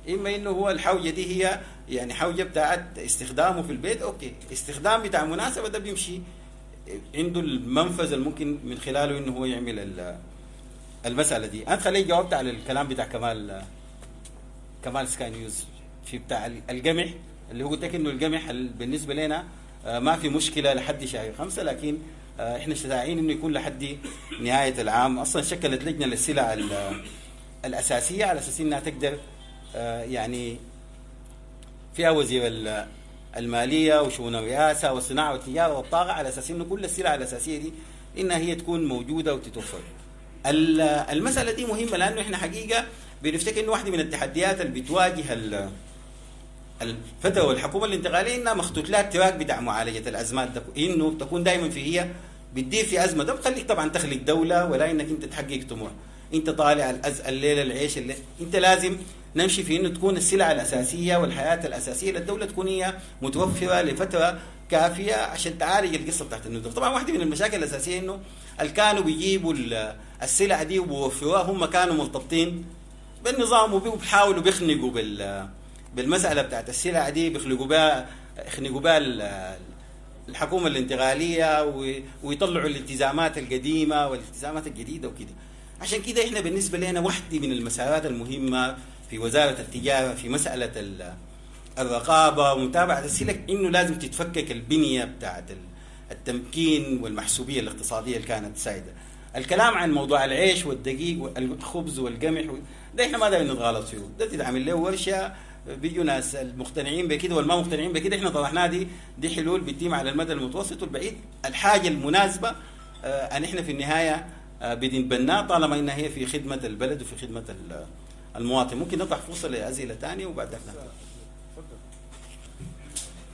اما انه هو الحوجه دي هي يعني حوجه بتاعت استخدامه في البيت، okay، استخدام بتاع مناسبة ده بيمشي عنده المنفذ الممكن من خلاله انه هو يعمل المسالة دي. انا خليك جاوبت على الكلام بتاع كمال كمال سكاي نيوز في بتاع القمح، اللي هو قلت لك انه القمح بالنسبة لنا ما في مشكلة لحد شهر خمسة، لكن احنا شجاعين انه يكون لحد نهاية العام. اصلا شكلت لجنة للسلع الاساسية على اساس انها تقدر يعني فيها وزير المالية وشؤون الرئاسة والصناعة والتجارة والطاقة، على اساس انه كل السلع الاساسية دي انها هي تكون موجودة وتتوفر. المسالة دي مهمة لانه احنا حقيقة بنفتكر انه واحدة من التحديات اللي بتواجه الفترة والحكومة الانتقالية انها مخطوط لها ال track بتاع معالجة الازمات ده، انه تكون دائما في هي بتدير في ازمة، ده بخليك طبعا تخلق دولة ولا انك انت تحقق طموح، انت طالع الأز... الليلة العيش الليلة. انت لازم نمشي في انه تكون السلع الاساسية والحياة الاساسية للدولة تكون هي متوفرة لفترة كافيه عشان تعالج القصة بتاعت الندرة. طبعا واحدة من المشاكل الاساسية انه اللي كانوا بيجيبوا السلع دي وبيوفروها هم كانوا مرتبطين بالنظام وبيحاولوا بيخنقوا بال بالمسالة بتاعت السلع دي، بيخلقوا بها يخنقوا بها الحكومة الانتقالية ويطلعوا الالتزامات القديمة والالتزامات الجديدة وكده. عشان كده احنا بالنسبة لنا واحدة من المسارات المهمة في وزارة التجارة في مسالة الرقابة ومتابعة السلع انه لازم تتفكك البنية بتاعت التمكين والمحسوبيه الاقتصادية اللي كانت سائدة. الكلام عن موضوع العيش والدقيق والخبز والقمح ده احنا ما دايرين نتغالط فيه، ده تتعمل له ورشه، بيجوا ناس المقتنعين بكده والما مقتنعين بكده، احنا طرحناها دي دي حلول بتتم على المدى المتوسط والبعيد. الحاجة المناسبة آه ان احنا في النهاية آه بنتبناها طالما انها هي في خدمة البلد وفي خدمة المواطن. ممكن نطرح فرصة لاسئلة ثانية وبعدها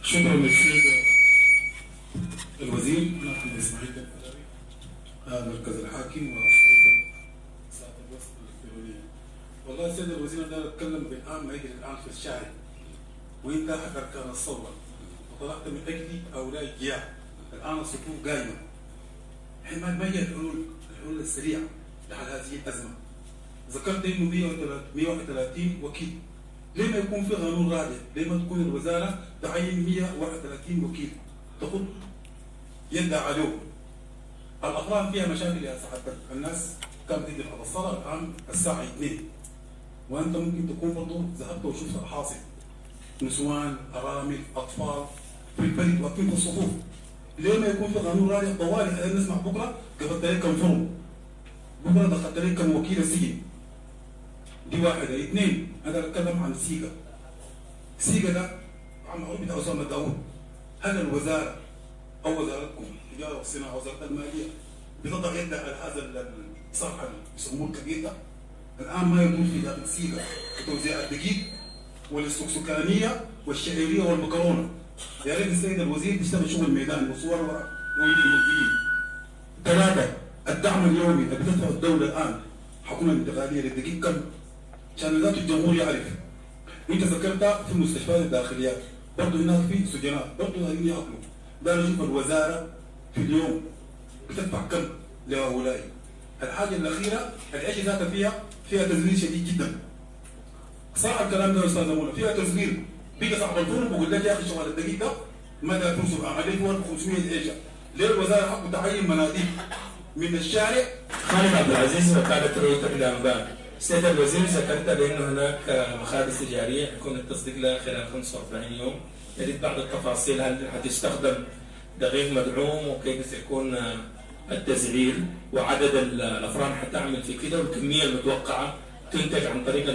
شكرا للسيد الوزير. انا محمد اسماعيل مركز الحاكم وصحيفه ساعة الوسط الالكترونية. والله السيد الوزير انا اتكلم بالان ما يجري الان في الشارع، وانت احد اركان الثورة وطلعت من اجل هؤلاء الجياع. الان الصفوف قائمة، ما هي الحلول الحلول السريعة لحل هذه الازمة؟ ذكرت انه مئة وواحد وثلاثين وكيل، ليه ما يكون في قانون رادع؟ ليه ما تكون الوزارة تعين مئة وواحد وثلاثين وكيل تخط يدها عليهم؟ الافران فيها مشاكل يا سعادتك، الناس كانت تدي بعد الصلاة الان الساعة اثنين، وانت ممكن تكون برضه ذهبت وشفت الحاصل، نسوان، ارامل، اطفال في البريد واقفين في الصفوف. ليه ما يكون في قانون رادع طوالي؟ نسمع بكره قبضت عليك كم فرم، بكره دخلت عليك كم وكيل السجن. دي واحدة. اثنين، انا اتكلم عن سيجا. سيجا ده المعروف بتاع اسامة داوود. هل الوزارة او وزارتكم التجارة والصناعة وزارة المالية بتضع يدها على هذا الصرح اللي بيسموه الكبير ده؟ الان ما يدور في داخل سيغا وتوزيع الدقيق والسكسكانيه والشعيريه والمكرونه. يا ريت السيد الوزير تشتغل شغل ميداني وصور ورق ويجي الموجودين. ثلاثة، الدعم اليومي اللي بتدفعه الدولة الان حكومة الانتقالية للدقيق كم؟ عشان ذات الجمهور يعرف. انت ذكرت في المستشفيات الداخليات برضه هناك في سجناء برضه قاعدين ياكلوا. ده نشوف الوزارة في اليوم بتدفع كم لهؤلاء. الحاجة الاخيرة العيش ذاتها فيها فيها تزوير شديد جدا. صح الكلام ده يا استاذ منى، فيها تزوير. بيجي صاحب الفرن بيقول لك يا اخي شغل الدقيق ده ما ده فرصة عليه ألف وخمسمية عيشه. ليه الوزارة حقه تعين مناديب من الشارع؟ خالد عبد العزيز وكالة رويتر للانباء. سيد الوزير ذكرت بانه هناك مخابز تجارية يكون التصديق لها خلال خمسة وأربعين يوم، يريد بعض التفاصيل، هل حتستخدم دقيق مدعوم وكيف سيكون التسعير وعدد الافران حتعمل في كده والكميه المتوقعة تنتج عن طريق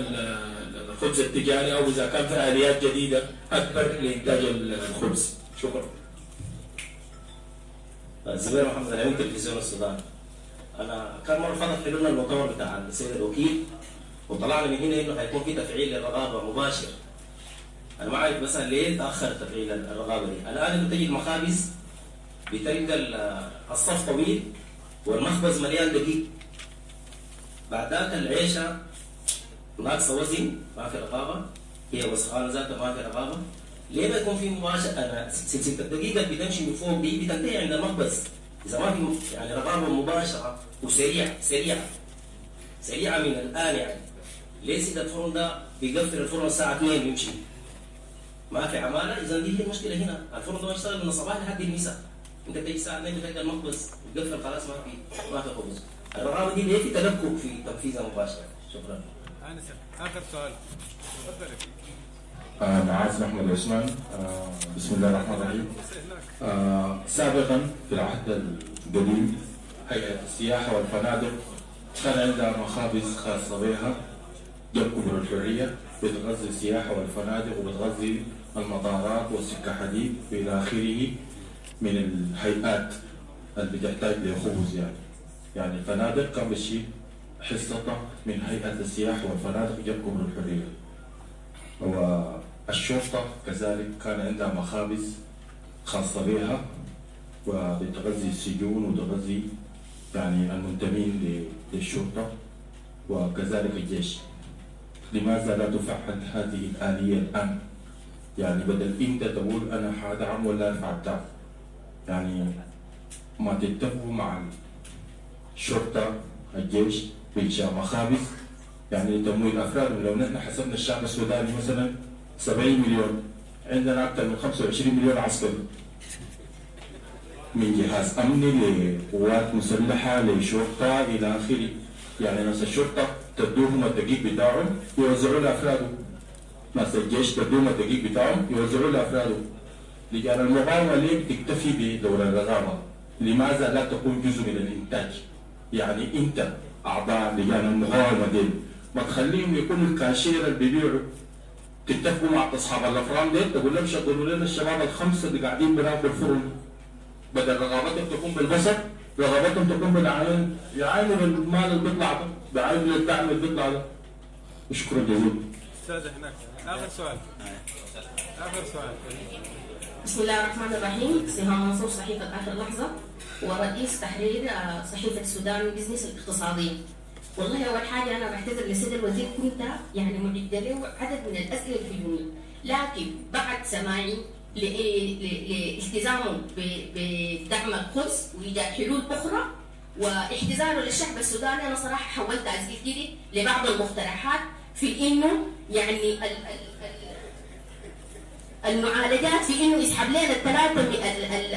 الخبز التجاري او اذا كان في اليات جديدة اكبر لانتاج الخبز. شكرا. زبير محمد العين تلفزيون السودان. انا كان مرة فاتت حلولنا المؤتمر بتاع السيد الوكيل وطلعنا من هنا انه حيكون في تفعيل للرقابة مباشر. انا ما عارف مثلا ليه تاخر تفعيل الرقابة دي. الان انت تجي المخابز بتلقى الصف طويل والمخبز مليان دقيق. بعد ذاك العيشة ناقصه وزن، ما في رقابه، هي وسخانه ذاتها ما في رقابه. ليه ما يكون في مباشرة؟ انا سلسلة الدقيقة اللي بتمشي من فوق دي بتنتهي عند المخبز. اذا ما في يعني رقابه مباشرة وسريعة سريعة سريعة من الان يعني. ليه سيد الفرن ده بيقفل الفرن الساعة اثنين ويمشي؟ ما في عماله، اذا دي هي المشكلة هنا، الفرن ده يشتغل من الصباح لحد المساء. انت بتيجي الساعة اثنين بتلقى المخبز بيقفل خلاص ما في ما في خبز. الرقابة دي ليه في تلكؤ في تنفيذها مباشرة؟ شكرا. انسه اخر سؤال تفضل. آه معاذ احمد عثمان. آه بسم الله الرحمن الرحيم. آه سابقا في العهد القديم هيئة السياحة والفنادق كان عندها مخابز خاصة بها جنب كبر الحرية بتغذي السياحة والفنادق وبتغذي المطارات والسكه حديد والى اخره من الهيئات اللي بتحتاج لخبز. يعني يعني الفنادق كان بتشيل حصتها من هيئة السياحة والفنادق جنب كبر الحرية. والشرطة كذلك كان عندها مخابز خاصة بها وبتغذي السجون وتغذي يعني المنتمين للشرطة وكذلك الجيش. لماذا لا تفعل هذه الآلية الآن؟ يعني بدل أنت تقول أنا حادعم ولا أرفع الدعم، يعني ما تتفقوا مع الشرطة الجيش بإنشاء مخابز يعني لتمويل افراد. لو نحن حسبنا الشعب السوداني مثلا سبعين مليون، عندنا اكثر من خمسة وعشرين مليون عسكري من جهاز امني لقوات مسلحة لشرطه الى اخره. يعني ناس الشرطة تدوهم الدقيق بتاعهم يوزعوا لافرادهم، ناس الجيش تدوهم الدقيق بتاعهم يوزعوا لافرادهم. لجان المقاومة ليه بتكتفي بدور الرقابة؟ لماذا لا تكون جزء من الانتاج؟ يعني انت اعضاء لجان المقاومة دي ما تخليهم يكونوا الكاشير اللي بيبيعوا، تتفقوا مع اصحاب الافران دي تقول لهم شغلوا لنا الشباب الخمسة اللي قاعدين بناكل الفرن، بدل رغبتهم تكون بالبصر رغبتهم تكون بالعين، يعاينوا بالمال اللي بيطلع ده، بيعاينوا للدعم اللي بيطلع ده. شكرا جزيلا. استاذ هناك اخر سؤال. اخر سؤال. بسم الله الرحمن الرحيم. سهام منصور صحيفة اخر لحظة ورئيس تحرير صحيفة السودان بزنس الاقتصادية. والله اول حاجة انا بعتذر للسيد الوزير، كنت يعني معده له عدد من الاسئلة الهجومية، لكن بعد سماعي لالتزامه بدعم القدس وايجاد حلول اخرى واحتزاره للشعب السوداني، انا صراحة حولت اسئلتي دي لبعض المقترحات في انه يعني ال ال المعالجات في انه يسحب لنا الثلاثة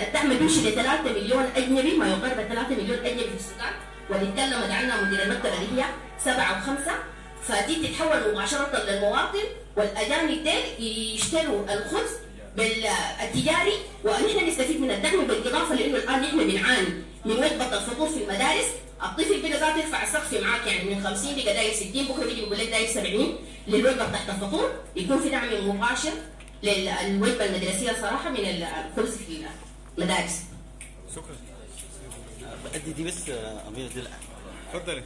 الدعم بيمشي ل ثلاثة مليون اجنبي، ما يقارب ثلاثة مليون اجنبي في السودان، واللي تكلمت عنها مدير المكتب اللي هي سبعة وخمسة، فدي تتحول مباشرة للمواطن، والاجانب ديل يشتروا الخبز بالتجاري ونحن نستفيد من الدعم. بالاضافة لانه الان نحن بنعاني من وجبة الفطور في المدارس، الطفل بدا ذاته يرفع السقف معاك، يعني من خمسين بقى داير ستين، بكره بيجي بيقول لك داير سبعين للوجبه بتاعت الفطور. يكون في دعم مباشر للوجبه المدرسية صراحة من الخبز في المدارس. شكرا. ادي دي بس اميره دي. تفضلي.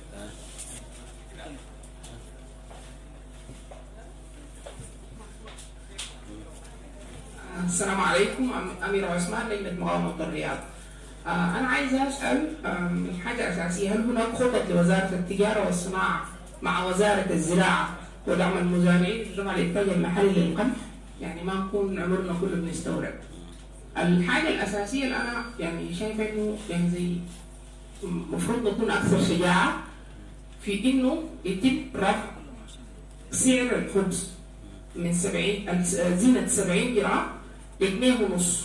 السلام عليكم، أميرة عثمان، لجنة مقاومة الرياض. أنا عايزة أسأل من حاجة أساسية، هل هناك خطط لوزارة التجارة والصناعة مع وزارة الزراعة ودعم المزارعين لرفع الإنتاج المحلي للقمح؟ يعني ما نكون عمرنا كله بنستورد. الحاجة الأساسية اللي أنا يعني شايفة إنه يعني زي المفروض نكون أكثر شجاعة في إنه يتم رفع سعر الخبز من سبعين زينة سبعين جرام لجنيه ونص،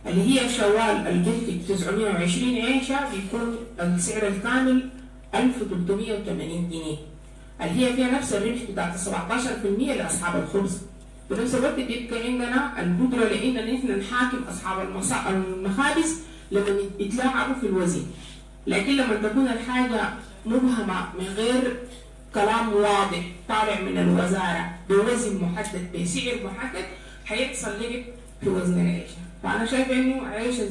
اللي هي شوال البنتج تسعمية وعشرين عيشة بيكون السعر الكامل ألف وثلاثمية وثمانين جنيه، اللي هي فيها نفس الربح بتاعت سبعتاشر بالمية لأصحاب الخبز. بنفس الوقت بيبقى عندنا القدرة لأن نحن نحاكم أصحاب المخابز لما يتلاعبوا في الوزن، لكن لما تكون الحاجة مبهمة من غير كلام واضح طالع من الوزارة بوزن محدد بسعر محدد حيحصل لعب في وزن العيشة. فأنا شايفة إنه عيشة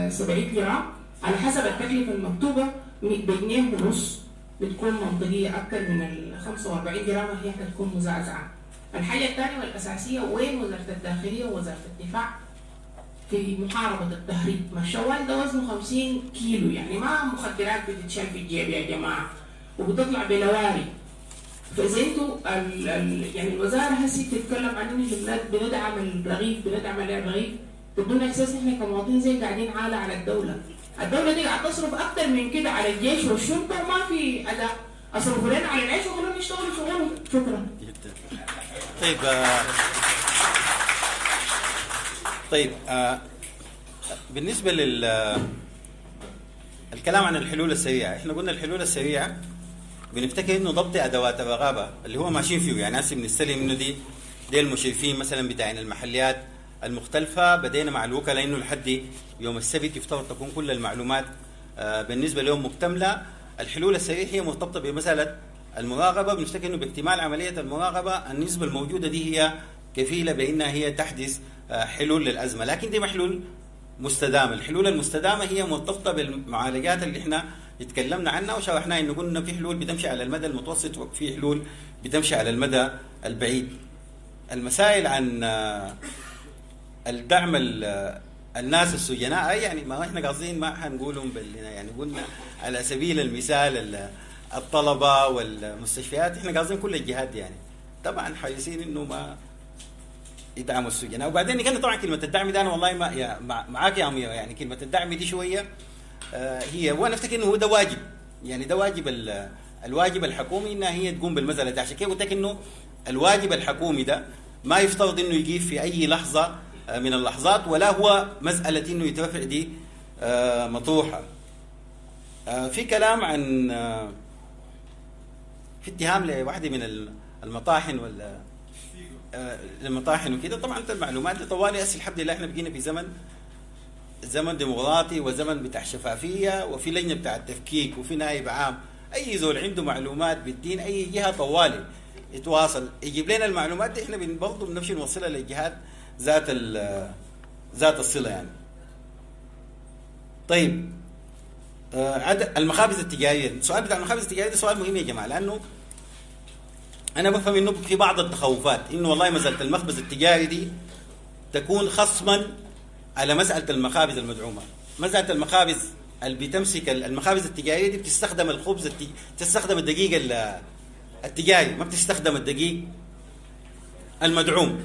سبعين جرام على حسب التكلفة المكتوبة بجنيه ونص بتكون منطقية أكثر من ال خمسة وأربعين جرام، هي حتكون مزعزعة. الحاجة الثانية والأساسية، وين وزارة الداخلية ووزارة الدفاع في محاربة التهريب؟ ما الشوال ده وزنه خمسين كيلو، يعني ما مخدرات بتتشال في الجيب يا جماعة وبتطلع بلواري. فإذا انتوا ال ال يعني الوزارة هسي بتتكلم عن إنه بندعم الرغيف بندعم الرغيف، تدونا إحساس إحنا كمواطنين زي قاعدين عالة على الدولة. الدولة دي قاعدة تصرف أكثر من كده على الجيش والشرطة وما في أداء. أصرفوا لنا على العيش وخلوهم يشتغلوا شغلهم. شكرا. جدا. طيب آه طيب آه بالنسبة لل الكلام عن الحلول السريعة، احنا قلنا الحلول السريعة بنفتكر انه ضبط ادوات الرقابة اللي هو ماشيين فيه، يعني هسه بنستلم انه دي دي المشرفين مثلا بتاعين المحليات المختلفة، بدينا مع الوكلاء انه لحد يوم السبت يفترض تكون كل المعلومات آه بالنسبة لهم مكتملة. الحلول السريعة هي مرتبطة بمسالة المراقبة، بنفتكر انه باكتمال عملية المراقبة النسبة الموجودة دي هي كفيله بانها هي تحدث حلول للازمة، لكن دي محلول مستدامة. الحلول المستدامة هي مرتبطة بالمعالجات اللي احنا اتكلمنا عنها وشرحناها، انه قلنا في حلول بتمشي على المدى المتوسط وفي حلول بتمشي على المدى البعيد. المسائل عن الدعم الناس السجناء، يعني ما احنا قاصدين ما حنقولهم بالنا، يعني قلنا على سبيل المثال الطلبة والمستشفيات، احنا قاصدين كل الجهات يعني طبعا حريصين انه ما يدعموا السجناء. وبعدين كان طبعا كلمة الدعم ده انا والله ما يا معاك يا اميره، يعني كلمة الدعم دي شوية آه هي، وانا افتكر انه هو ده واجب، يعني ده واجب الواجب الحكومي انها هي تقوم بالمسالة دي. عشان كده قلت لك انه الواجب الحكومي ده ما يفترض انه يجي في اي لحظة من اللحظات، ولا هو مسالة انه يترفع دي آه مطروحة. آه في كلام عن آه في اتهام لواحدة من المطاحن ولا المطاحن وكده. طبعا انت المعلومات دي طوالي هسه الحمد لله احنا بقينا في زمن زمن ديمقراطي وزمن بتاع شفافية، وفي لجنة بتاع التفكيك وفي نائب عام، اي زول عنده معلومات بالدين اي جهة طوالي يتواصل يجيب لنا المعلومات دي، احنا برضه بنمشي نوصلها للجهات ذات ذات الصلة يعني. طيب آه المخابز التجارية، السؤال بتاع المخابز التجارية ده سؤال مهم يا جماعة، لانه أنا بفهم إنه في بعض التخوفات إنه والله مسألة المخبز التجاري دي تكون خصما على مسألة المخابز المدعومة. مسألة المخابز اللي بتمسك المخابز التجارية دي بتستخدم الخبز التج... تستخدم الدقيق التجاري، ما بتستخدم الدقيق المدعوم.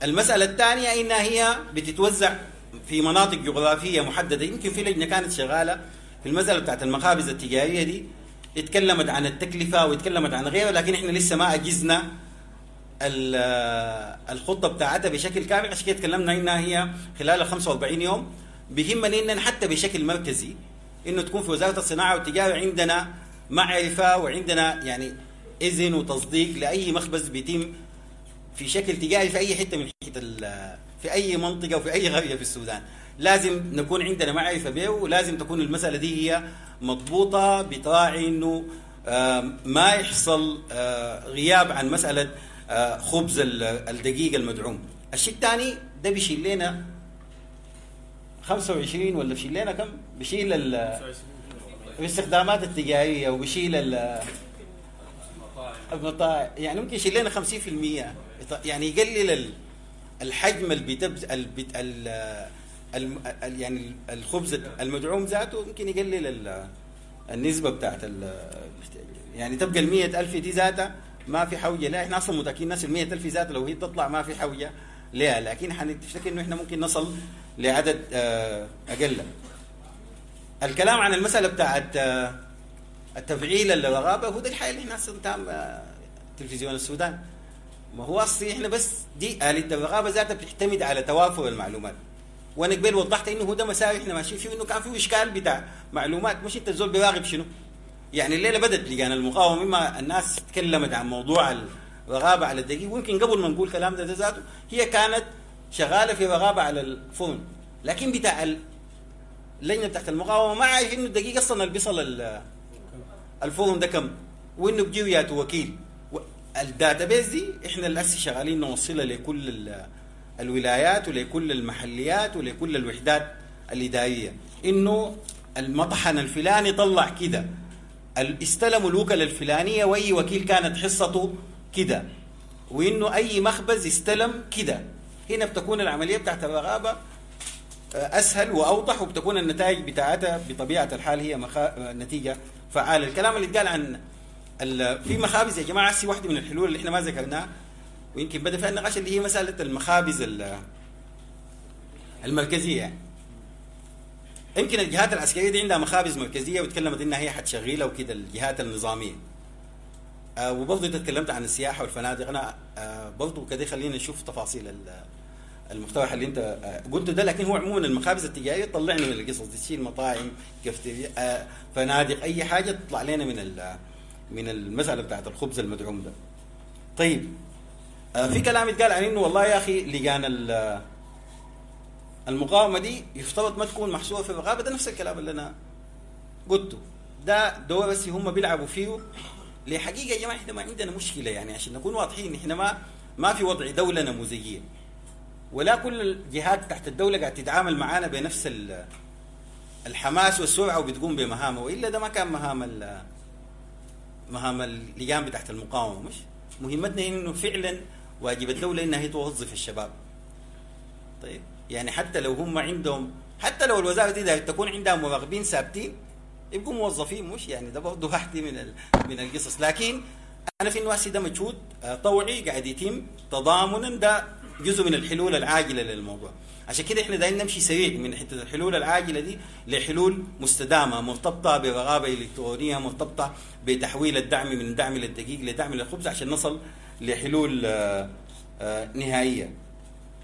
المسألة الثانية إنها هي بتتوزع في مناطق جغرافية محددة. يمكن في لجنة كانت شغالة في المسألة بتاعت المخابز التجارية دي، اتكلمت عن التكلفة واتكلمت عن غيره، لكن احنا لسه ما أجزنا الخطة بتاعتها بشكل كامل. عشان كده تكلمنا انها هي خلال ال خمسة وأربعين يوم. بيهمنا ان حتى بشكل مركزي انه تكون في وزارة الصناعة والتجارة عندنا معرفة وعندنا يعني اذن وتصديق لأي مخبز بيتم في شكل تجاري في اي حتة من حتة في اي منطقة وفي اي قرية في السودان. لازم نكون عندنا معرفة به، ولازم تكون المسألة دي هي مضبوطة بتراعي انه ما يحصل غياب عن مسألة خبز الدقيق المدعوم. الشيء الثاني ده بيشيل لنا خمسة وعشرين ولا بيشيل لنا كم؟ بيشيل الاستخدامات التجارية وبيشيل المطاعم، يعني ممكن يشيل لنا خمسين بالمية، يعني يقلل الحجم اللي بتبز ال ال يعني الخبز المدعوم ذاته، ممكن يقلل النسبة بتاعت يعني تبقى ال مية ألف دي ذاتها ما في حوجه لها. احنا اصلا متاكدين الناس ال مية ألف ذاتها لو هي تطلع ما في حوجه لها، لكن حنفتكر انه احنا ممكن نصل لعدد اقل. الكلام عن المسالة بتاعت التفعيل الرغابه هو ده الحاجة اللي احنا اصلا تام تلفزيون السودان. ما هو اصلي احنا بس دي آلية الرغابه ذاتها بتعتمد على توافر المعلومات، وانا قبل وضحت انه هو ده مساوي احنا ماشيين فيه، انه كان فيه اشكال بتاع معلومات، مش انت الزول بيراقب شنو. يعني الليلة بدت لجان المقاومة مما الناس تكلمت عن موضوع الرغابه على الدقيق، ويمكن قبل ما نقول كلام ده, ده ذاته هي كانت شغالة في رغابه على الفون، لكن بتاع اللجنة بتاعت المقاومة ما عارف انه الدقيق اصلا اللي بيصل الفرن ده كم، وانه بيجيو ياتو وكيل. ال database دي احنا الاسي شغالين نوصلها لكل الولايات ولكل المحليات ولكل الوحدات الادارية، انه المطحن الفلاني طلع كده، استلموا الوكلاء الفلانية واي وكيل كانت حصته كده، وانه اي مخبز استلم كده. هنا بتكون العملية بتاعت الرغابه اسهل واوضح، وبتكون النتائج بتاعتها بطبيعة الحال هي مخا... نتيجة فعاله. الكلام اللي اتقال عن ال... في مخابز يا جماعة، هسي واحدة من الحلول اللي احنا ما ذكرناها ويمكن بدا فيها النقاش اللي هي مسالة المخابز المركزية. يعني يمكن الجهات العسكرية دي عندها مخابز مركزية وتكلمت انها هي حتشغيلها وكده، الجهات النظامية. آه وبرضه انت تكلمت عن السياحة والفنادق، انا آه برضه كده خلينا نشوف تفاصيل المقترح اللي انت قلته ده. لكن هو عموما المخابز التجارية تطلعنا من القصص دي، تشيل مطاعم، كافتيريا، فنادق، اي حاجة تطلع لنا من من المسالة بتاعت الخبز المدعوم ده. طيب في كلام اتقال عن انه والله يا اخي لجان المقاومة دي يفترض ما تكون محصورة في الرقابة، ده نفس الكلام اللي انا قلته ده دور بس هم بيلعبوا فيه. لحقيقة يا جماعة احنا ما عندنا مشكلة، يعني عشان نكون واضحين احنا ما ما في وضع دولة نموذجيه، ولا كل الجهات تحت الدولة قاعدة تتعامل معانا بنفس الحماس والسرعة وبتقوم بمهامها، والا ده ما كان مهام مهام اللجان بتاعت المقاومة. مش مهمتنا انه فعلا واجب الدولة انها هي توظف الشباب. طيب يعني حتى لو هم عندهم، حتى لو الوزارة دي تكون عندها مراقبين ثابتين يبقوا موظفين، مش يعني ده برضه واحدة من من القصص. لكن انا في انه هسه ده مجهود طوعي قاعد يتم تضامنا، ده جزء من الحلول العاجلة للموضوع. عشان كده احنا دايرين نمشي سريع من حتة الحلول العاجلة دي لحلول مستدامة مرتبطة برغابه الكترونية، مرتبطة بتحويل الدعم من دعم للدقيق لدعم للخبز عشان نصل لحلول نهائية.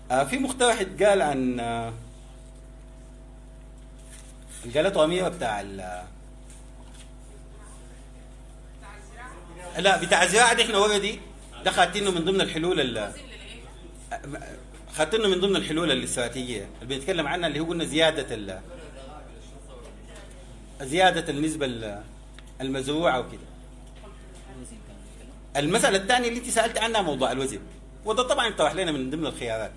في مقترح اتقال عن قالته اميره بتاع ال لا بتاع الزراعة دي، احنا اوريدي ده خاتينه من ضمن الحلول ال خاتينه من ضمن الحلول الاستراتيجية اللي بنتكلم عنها، اللي هو قلنا زيادة ال زيادة النسبة المزروعه وكده. المسالة الثانية اللي انت سالت عنها موضوع الوزن، وده طبعا طرح لنا من ضمن الخيارات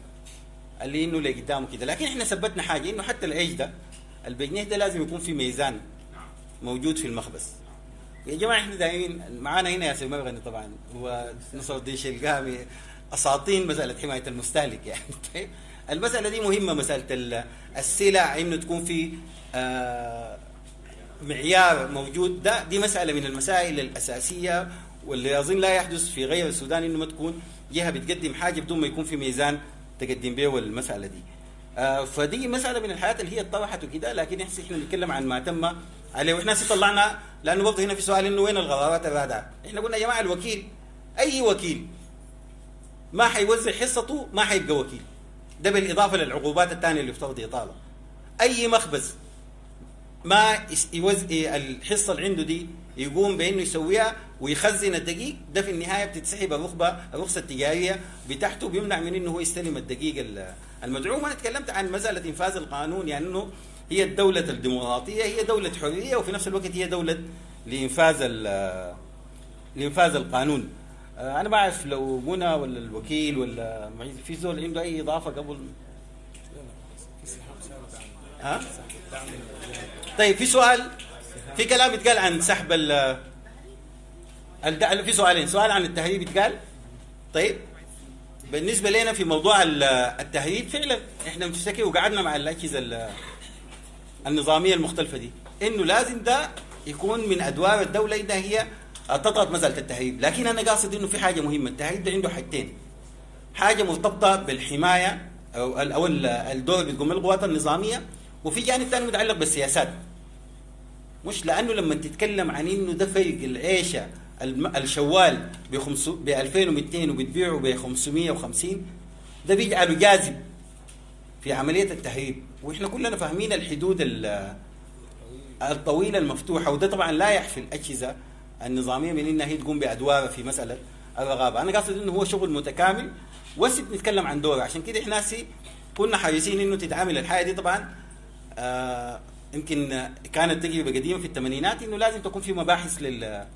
اللي انه اللي قدامه كده. لكن احنا ثبتنا حاجة انه حتى العيش ده البجنيه ده لازم يكون في ميزان موجود في المخبز. يا جماعة احنا دايمين معانا هنا ياسر مرغني طبعا ونصر الدين شلقامي اساطين مسالة حماية المستهلك يعني. طيب المسالة دي مهمة، مسالة السلع انه تكون في آه معيار موجود، ده دي مسالة من المسائل الاساسية واللي اظن لا يحدث في غير السودان، انه ما تكون جهة بتقدم حاجة بدون ما يكون في ميزان تقدم به المسالة دي. آه فدي مسالة من الحاجات اللي هي اتطرحت وكده. لكن احنا بنتكلم عن ما تم عليه، واحنا طلعنا لانه برضه هنا في سؤال انه وين القرارات الرادعه؟ احنا قلنا يا جماعة الوكيل اي وكيل ما حيوزع حصته ما حيبقى وكيل، ده بالاضافة للعقوبات الثانية اللي يفترض يطالها. اي مخبز ما يوزع الحصة اللي عنده دي يقوم بانه يسويها ويخزن الدقيق ده، في النهاية بتتسحب الرخبه الرخصة التجارية بتاعته، بيمنع من انه هو يستلم الدقيق المدعوم. انا تكلمت عن مسالة انفاذ القانون، يعني انه هي الدولة الديمقراطية هي دولة حرية وفي نفس الوقت هي دولة لانفاذ لانفاذ القانون. آه، انا بعرف لو منى ولا الوكيل ولا معيز في زول عنده اي اضافه قبل؟ ها؟ طيب في سؤال، في كلام اتقال عن سحب ال الد- في سؤالين، سؤال عن التهريب اتقال. طيب بالنسبة لنا في موضوع ال- التهريب فعلا احنا بنشتكي وقعدنا مع الاجهزة ال- النظامية المختلفة دي انه لازم ده يكون من ادوار الدولة انها هي تضغط مسالة التهريب، لكن انا قاصد انه في حاجة مهمة، التهريب ده عنده حاجتين، حاجة مرتبطة بالحمايه او ال- او ال- الدور اللي بتقوم به القوات النظامية، وفي جانب ثاني متعلق بالسياسات. مش لانه لما تتكلم عن انه ده فرق العيشة الم- الشوال ب ألفين ومئتين وبتبيعه ب خمسمية وخمسين، ده بيجعله جاذب في عملية التهريب، واحنا كلنا فاهمين الحدود ال- الطويلة المفتوحة، وده طبعا لا يحفي الاجهزة النظامية من انها هي تقوم بادوارها في مسالة الرغابه. انا قاصد انه هو شغل متكامل وهسه بنتكلم عن دوره، عشان كده احنا هسه كنا حريصين انه تتعامل الحاجة دي طبعا. آه يمكن كانت تجربه قديمة في الثمانينات انه لازم تكون في مباحث لل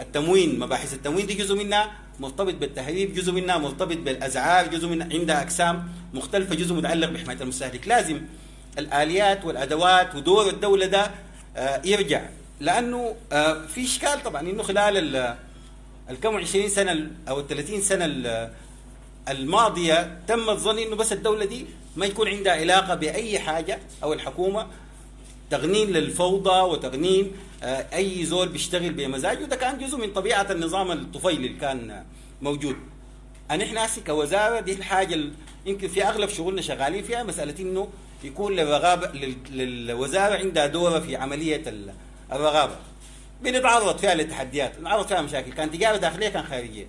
التموين، مباحث التموين دي جزء منها مرتبط بالتهريب، جزء منها مرتبط بالاسعار، جزء منها عندها اقسام مختلفة، جزء متعلق بحمايه المستهلك. لازم الاليات والادوات ودور الدولة ده آه، يرجع، لانه آه، في اشكال طبعا انه خلال ال- الكم عشرين سنة ال- او ال ثلاثين سنة ال- الماضية تم الظن انه بس الدولة دي ما يكون عندها علاقة باي حاجة او الحكومة، تغنين للفوضى وتغنين آه، اي زول بيشتغل بمزاجه، ده كان جزء من طبيعة النظام الطفيلي اللي كان موجود. أن احنا هسه كوزارة دي الحاجة ال- يمكن في اغلب شغلنا شغالين فيها مسالة انه يكون للرغابه لل- للوزارة عندها دوره في عملية ال- الرغابه. بنتعرض فيها لتحديات، بنتعرض فيها مشاكل، كان تجارة داخلية كان خارجية.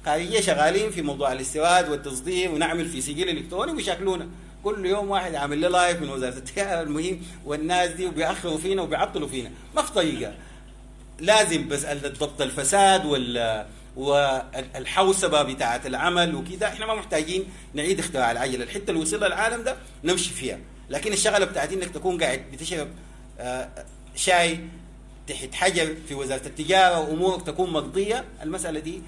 خارجية شغالين في موضوع الاستيراد والتصدير ونعمل في سجل الكتروني ويشاكلونا كل يوم واحد عامل لي live من وزارة التجارة المهم والناس دي، وبيأخروا فينا وبيعطلوا فينا، ما في طريقه. لازم بس ضبط الفساد وال والحوسبه بتاعه العمل وكده، احنا ما محتاجين نعيد اختراع العجلة، الحتة اللي وصلها العالم ده نمشي فيها، لكن الشغلة بتاعت انك تكون قاعد بتشرب آه، شاي تحت حجر في وزارة التجارة وامورك تكون مقضية، المسالة دي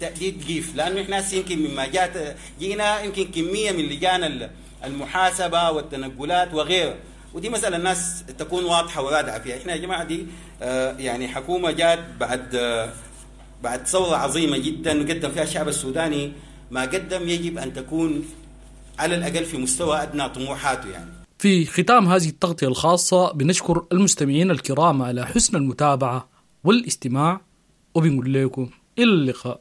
تأديد جيف، لانه احنا هسه يمكن مما جات جينا يمكن كمية من لجان المحاسبة والتنقلات وغيرها، ودي مسالة الناس تكون واضحة ورادعه فيها. احنا يا جماعة دي آه، يعني حكومة جات بعد آه، بعد ثورة عظيمة جدا قدم فيها الشعب السوداني ما قدم، يجب ان تكون على الاقل في مستوى ادنى طموحاته يعني. في ختام هذه التغطية الخاصة بنشكر المستمعين الكرام على حسن المتابعة والاستماع، وبنقول لكم إلى اللقاء.